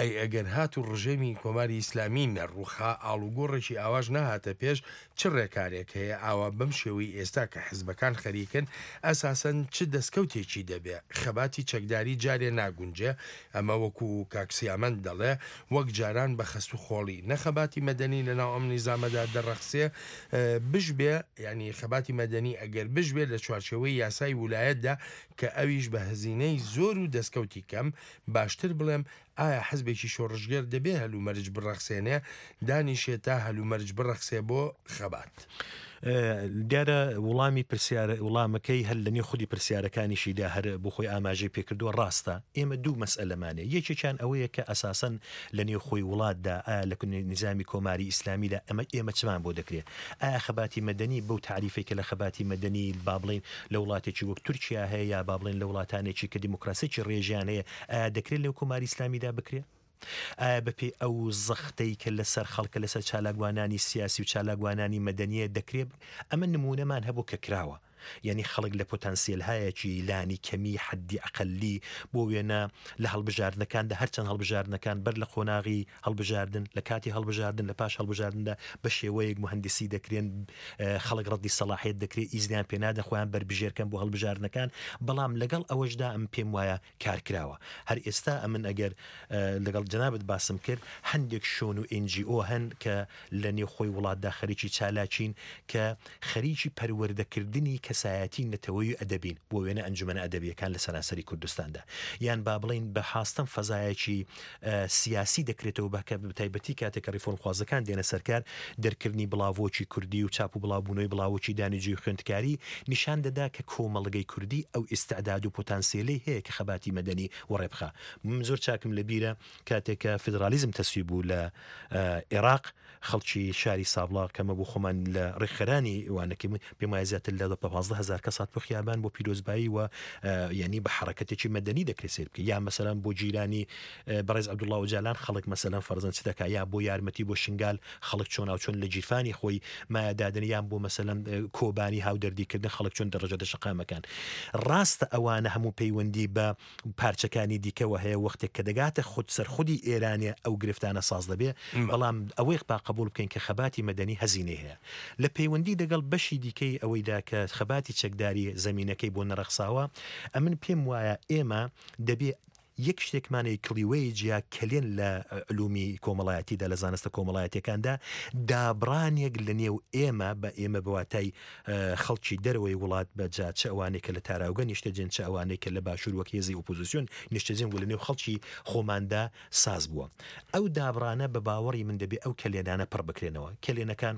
ئەی ئەگەر هات و ڕژێمی کۆماری ئیسلامی نەڕوخا ئاڵوگۆڕێکی ئاواش نەهاتە پێش، چ ڕێکارێک هەیە ئاوا بەم شێوەی ئێستا کە حزبەکان خەریکن ئەساسەن چ دەستکەوتێکی دەبێ؟ خەباتی چەکداری جارێ ناگونجێ، ئەمە وەکو کاک سیامەند دەڵێ وەک جاران بە خەست و خۆڵی نەخەباتی مەدەنی لەناو ئەم نیزامەدا دەڕەخسێ بژبێ، یعنی خەباتی مەدەنی ئەگەر بژبێ لە چوارچێوەی یاسای ولایەتدا کە ئەویش بە هەزینەی زۆر و دەستکەوتی کەم، باشتر بڵێم ئایا حزبێکی شۆڕشگێر دەبێ هەلومەرج بڕەخسێنێ دانیشێت تا هەلومەرج بڕەخسێ بۆ خەبات؟ دیارە وڵامی پرسیار وڵامەکەی هەر لە نێو خودی پرسیارەکانیشیدا هەر بۆ خۆی ئاماژەی پێکردووە. ڕاستە ئێمە دوو مەسئلەمانێ، یەکێکیان ئەوەیە کە ئەساسەن لە نێو خۆی وڵاتدا ئایا لە نظامی کۆماری ئیسلامیدا ئەمە ئێمە چمان بۆ دەکرێت؟ ئایا خەباتی مەدەنی بەو تعریفێک کە لە خەباتی مەدەنی با بڵێین لە وڵاتێکی وەک تورکیا هەیە یا با بڵێین لە وڵاتانێکی کە دیموکراسیەکی ڕێژیان هەیە، ئایا دەکرێت لەو کۆماری ئیسلامیدا بکرێت؟ ئایا بەپێی ئەو زەختەی کە لەسەر خەڵکە لەسەر چالاکوانانی سیاسی و چالاکوانانی مەدەنیە دەکرێت؟ ئەمە نمونەمان هەبوو کە کراوە، یعنی خەڵک لە پۆتانسیەلهایەکی لانی کەمی حەدی ئەقەلی بۆ وێنە لە هەڵبژاردنەکاندا، هەرچەند هەڵبژاردنەکان بەر لە قۆناغی هەڵبژاردن، لە کاتی هەڵبژاردن، لە پاش هەڵبژاردندا بە شێوەیەک مهندسی دەکرێن، خەڵک ڕەدی سەلاحیەت دەکرێت، ئیزنیان پێنادە خۆیان بەربژێرکەن بۆ هەڵبژاردنەکان، بەڵام لەگەڵ ئەوەشدا ئەم پێم وایە کار کراوە. هەر ئێستا ئەمن ئەگەر لەگەڵ جەنابت باسم کرد، هەندێک شۆن و ئێن جی ئۆ هەن کە لە نێوخۆی وڵاتدا خەریکی چالاکین کە خەریکی پەروەردەکردنی کەسایەتی نەتەوەی ئەدەبین، بۆ وێنە ئەنجومەنە ئەدەبیەکان لە سەراسەری کوردستاندا، یان با بڵین بە حاستەم فەزایەکی سیاسی دەکرێتەوە بە تایبەتی کاتێک کە ڕیفۆرمخوازەکان دێنە سەرکار، دەرکردنی بڵاوۆکی کوردی و چاپ و بڵاوبوونەوەی بڵاوۆکی دانیجوی خوێندکاری نیشان دەدا کە کۆمەڵگەی کوردی ئەو ئیستعداد و پۆتانسیلەی هەیە کە خەباتی مەدەنی وەڕێ بخا. من زۆر چاکم لەبیرە کاتێک کە فیدرالیزم تەسویب بوو لە عێراق، خەڵکی شاری سابڵاغ کەمە بۆ خۆمان لە ڕێکخەرانی وانەکەی پێم وایە زیاتر لە پازدە هەزار کەس هات بۆ خیابان بۆ پیرۆزبایی و یعنی بە حرەکەتێکی مەدەنی دەکرێت سێر بکەی. یا مەسەلەن بۆ جیرانی بەڕێز عەبدوڵڵا ئۆجالان خەڵک مەسەلەن فەرزەن چ دەکا، یا بۆ یارمەتی بۆ شنگال خەڵک چۆن و چۆن لە گیرفانی خۆی مایە دادن، یان بۆ مەسەلەن کۆبانی هاودەردیکردن خەڵک چۆن دەڕژە دە شەقامەکان. ڕاستە ئەوانە هەموو پەیوەندی بە پارچەکانی دیکەوە هەیە، وەختێک کە دەگاتە خود سەرخودی ئێرانێ ئەو گرفتانە ساز دەبێ، بەڵام ئەوەی با قبول بکەین کە خەباتی مەدەنی هەزینەی هەیە. لە پەیوەندی دەگەڵ بەشی دیکەی ئەوەیدا کە خەباتی چەکداری زەمینەکەی بۆ نەڕەخساوە، ئەمن پێم وایە ئێمە دەبێ یەک شتێکمانەی کلیوەی جیا کەلێن لە علومی کۆمەڵایەتیدا لە زانستە کۆمەڵایەتیەکاندا دابڕانێک لە نێو ئێمە بە ئێمە بەواتای خەڵکی دەرەوەی وڵات بە جا چ ئەوانەی کە لە تاراوگە نیشتەجێن، چ ئەوانەی کە لە باشوور وەک هێزی ئۆپۆزیسیۆن نیشتەجێن و لە نێو خەڵکی خۆماندا ساز بووە. ئەو دابڕانە بە باوەڕی من دەبێ ئەو کەلێنانە پڕ بکرێنەوە. کەلێنەکان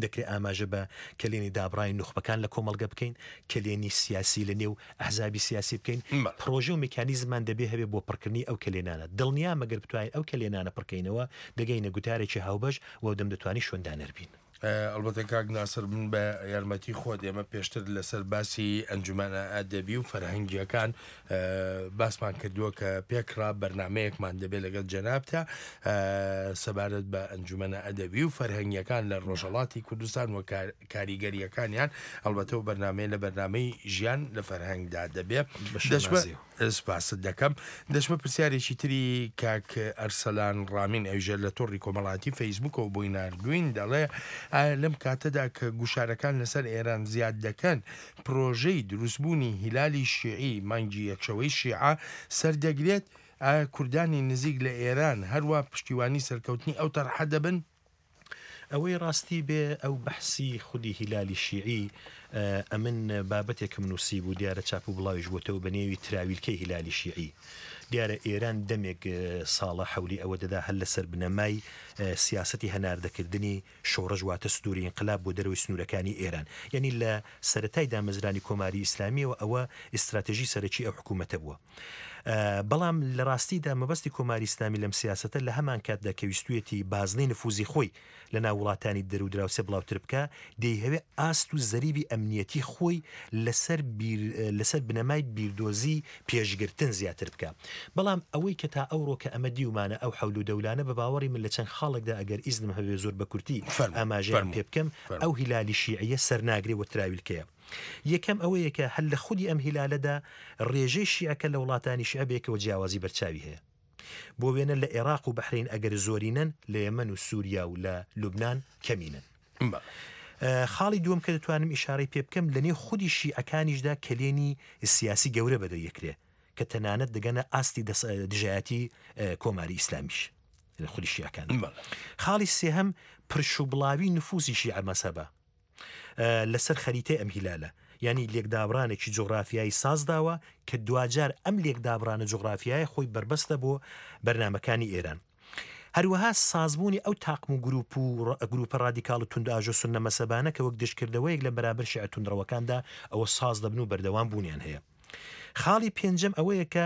دەکرێت ئاماژە بە کەلێنی دابڕای نوخبەکان لە کۆمەڵگە بکەین، کەلێنی سیاسی لە نێو ئەحزابی سیاسی بکەین. پرۆژە و میکانیزمان دەبێ هەبێ بۆ پڕکردنی ئەو کەلێنانە. دڵنیام ئەگەر بتوانین ئەو کەلێنانە پڕکەینەوە دەگەینە گوتارێکی هاوبەش و دەم دەتوانین شوێندانەر بین. ئەڵبەتە کاک ناسر من بە یارمەتی خۆت ئێمە پێشتر لەسەر باسی ئەنجومەنە ئەدەبی و فەرهەنگیەکان باسمان کردووە کە پێکرا بەرنمەیەکمان دەبێت لەگەڵ جەنابتا سەبارەت بە ئەنجومەنە ئەدەبی و فەرهەنگیەکان لە ڕۆژهەڵاتی کوردستان و کاریگەریەکانیان. ئەڵبەتە و بەرنمەیە لە بەرنمەی ژیان لە فەرهەنگدا دەبێت. سپاست دەکەم. دەچمە پرسیارێکی تری کاک ئەرسەلان ڕامین ئەویژە لە تۆڕی کۆمەڵاتی فەیسبوکەوە بۆی ناردوین، دەڵێ ئایا لەم کاتەدا کە گوشارەکان لەسەر ئێران زیاد دەکەن پرۆژەی دروستبوونی هیلالی شیعی مانگی یەکشەوەی شیعە سەردەگرێت؟ ئایا کوردانی نزیک لە ئێران هەروە پشتیوانی سەرکەوتنی ئەو تەرحە دەبن؟ ئەوەی ڕاستی بێ ئەو بەحسی خودی هیلالی شیعی ئەمن بابەتێکم نووسی بوو، دیارە چاپ و بڵاویش بۆتەوە بە نێوی تراویلکەی هیلالی شیعی. دیارە ئێران دەمێک ساڵە حەولی ئەوە دەدا هەر لەسەر بنەمای سیاسەتی هەناردەکردنی شۆڕش واتە سدووری ئینقلاب بۆ دەرەوەی سنوورەکانی ئێران. یعنی لە سەرەتای دامەزرانی کۆماری ئیسلامیەوە ئەوە ئیستراتێژی سەرەکی ئەو حکوومەتە بووە. بەڵام لە ڕاستیدا مەبەستی کۆماری ئیسلامی لەم سیاسەتە لە هەمان کاتدا کە ویستویەتی بازنەی نفوزی خۆی لە ناو وڵاتانی دەر و دراوسێ بڵاوتر بکە، دەیهەوێ ئاست و زەریبی ئەمنیەتی خۆی لەسەر لەسەر بنەمای بیردۆزی پێشگرتن زیاتر بکە. بەڵام ئەوەی کە تا ئەوڕۆ کە ئەمە دیومانە ئەو حەول و دەولانە بە باوەڕی من لە چەند خاڵێکدا ئەگەر ئیزنم هەبێ زۆر بە کورتی ئاماژەیان پێ بکەم، ئەو هیلالی شیعیە سەرناگرێ و تراویلکەیە. یەکەم ئەوەیە کە هەر لە خودی ئەم هیلالەدا ڕێژەی شیعەکە لە وڵاتانی شیعە بێکەوە جیاوازی بەرچاوی هەیە. بۆ وێنە لە عێراق و بەحرین ئەگەر زۆرینەن، لە یەمەن و سووریا و لە لوبناان کەمینن. خاڵی دووەم کە دەتوانم ئیشارەی پێ بکەم لە نێو خودی شیعەکانیشدا کەلێنی سیاسی گەورە بەدەیەکرێ کە تەنانەت دەگەنە ئاستی دژایەتی کۆماری ئیسلامیش لە خودی شیعەکان. خاڵی سێهەم پرشوبڵاوی نفوزی شیعە مەسەبە لەسەر خەریتەی ئەم هیلالە، یعنی لێکدابرانێکی جوغرافیایی سازداوە کە دواجار ئەم لێکدابرانە جوغرافیایی خۆی بەربەستە بۆ بەرنامەکانی ئێران. هەروەها سازبوونی ئەو تاقم و گروپ و گروپە ڕادیکاڵ و توندئاژۆ سوننە مەسەبانە کە وەک دژکردەوەیەک لە بەرابەر شیعە توندڕەوەکاندا ئەوە ساز دەبن و بەردەوام بوونیان هەیە. خاڵی پێنجەم ئەوەیە کە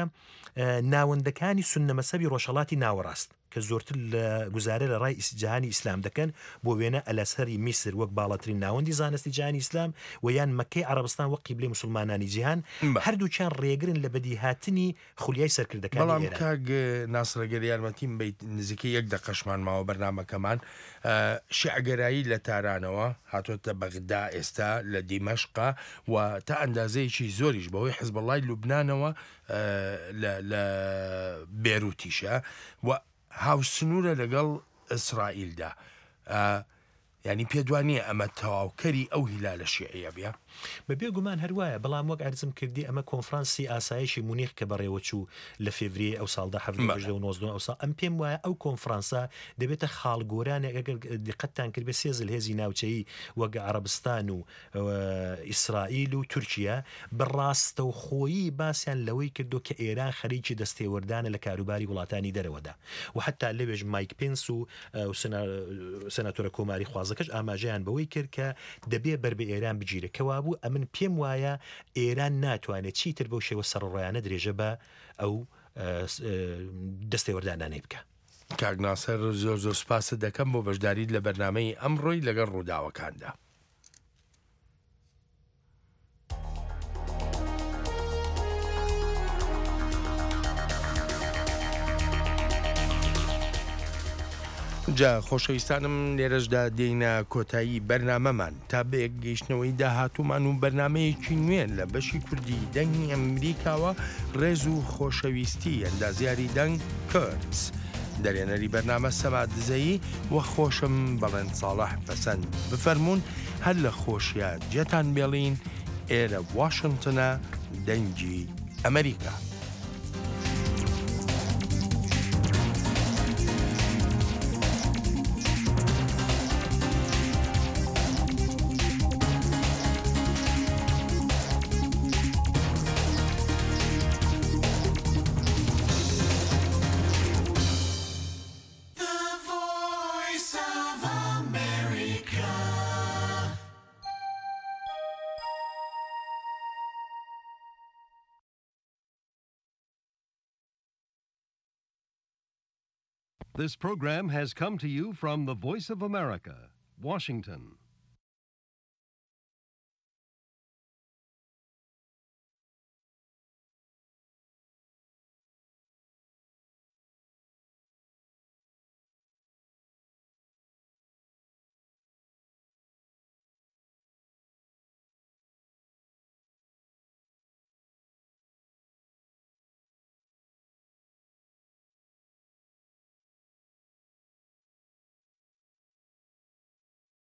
ناوەندەکانی سوننە مەسەبی ڕۆژهەڵاتی ناوەڕاست کە زۆرتر لە گوزارە لە ڕای جیهانی ئیسلام دەکەن، بۆ وێنە ئەلەسەری میسر وەک باڵاترین ناوەندی زانستی جیهانی ئیسلام و یان مەکەی عەرەبستان وەک قیبلەی مسلمانانی جیهان، هەردووکیان ڕێگرن لە بەدیهاتنی خولیای سەرکردەکانی بەڵام ئێران. کاک ناسرەگەر یارمەتیم بیت نزیکەی یەک دەقەشمان ماوە بەرنامەکەمان. شیعەگەرایی لە تارانەوە هاتۆتە بەغدا، ئێستا لە دیمەشقا و تا ئەندازەیەکی زۆریش بەهۆی حزبوڵای لوبنانەوە لە بێروتیشە و هاوسنوورە لەگەڵ ئیسرائیلدا. یعنی پێدوانیە ئەمە تەواوکەری ئەو هیلالە شیعیە بێ؟ بەبێ گومان هەروایە، بەڵام وەک عەرزم کردی ئەمە کۆنفرانسی ئاسایشی مونیخ کە بەڕێوەچوو لە فێڤریەی ئەو ساڵدا حەڤدە هەژدە و نۆزدە ئەو ساڵ، ئەم پێم وایە ئەو کۆنفرانسە دەبێتە خاڵگۆرانێک ئەگەر دیقەتتان کرد بێ سێ زلهێزی ناوچەیی وەک عەرەبستان و ئیسرائیل و تورکیا بەڕاستەوخۆیی باسیان لەوەی کردو کە ئێران خەریکی دەستێوەردانە لە کاروباری وڵاتانی دەرەوەدا و حتا لەوێش مایک پێنس و سەناتۆرە کۆماری خوازەکەش ئاماژەیان بەوەی کرد کە دەبێ بەر بە ئێران بگیرێ. کەوابوو ئەمن پێم وایە ئێران ناتوانێت چیتر بەو شێوە سەرڕۆیانە درێژە بە ئەو دەستێوەردانانەی بکە. کاک ناسر زۆر زۆر سوپاست دەکەم بۆ بەشداریت لە بەرنامەی ئەمڕۆی لەگەڵ ڕووداوەکاندا. جا خۆشەویستانم لێرەشدا دێینە کۆتایی بەرنامەمان تا بەیەک گەیشتنەوەی داهاتوومان و بەرنامەیەکی نوێ لە بەشی کوردی دەنگی ئەمریکاوە ڕێز و خۆشەویستی ئەندازیاری دەنگ کەرتس، دەرێنەری بەرنامە سەما دزەیی و خۆشم بەڵێن ساڵح پەسەند بفەرمونون هەر لە خۆشیە جێتان بێڵین. ئێرە واشنگتنە، دەنگی ئەمریکا. The Voice of America. This program has come to you from the Voice of America, Washington.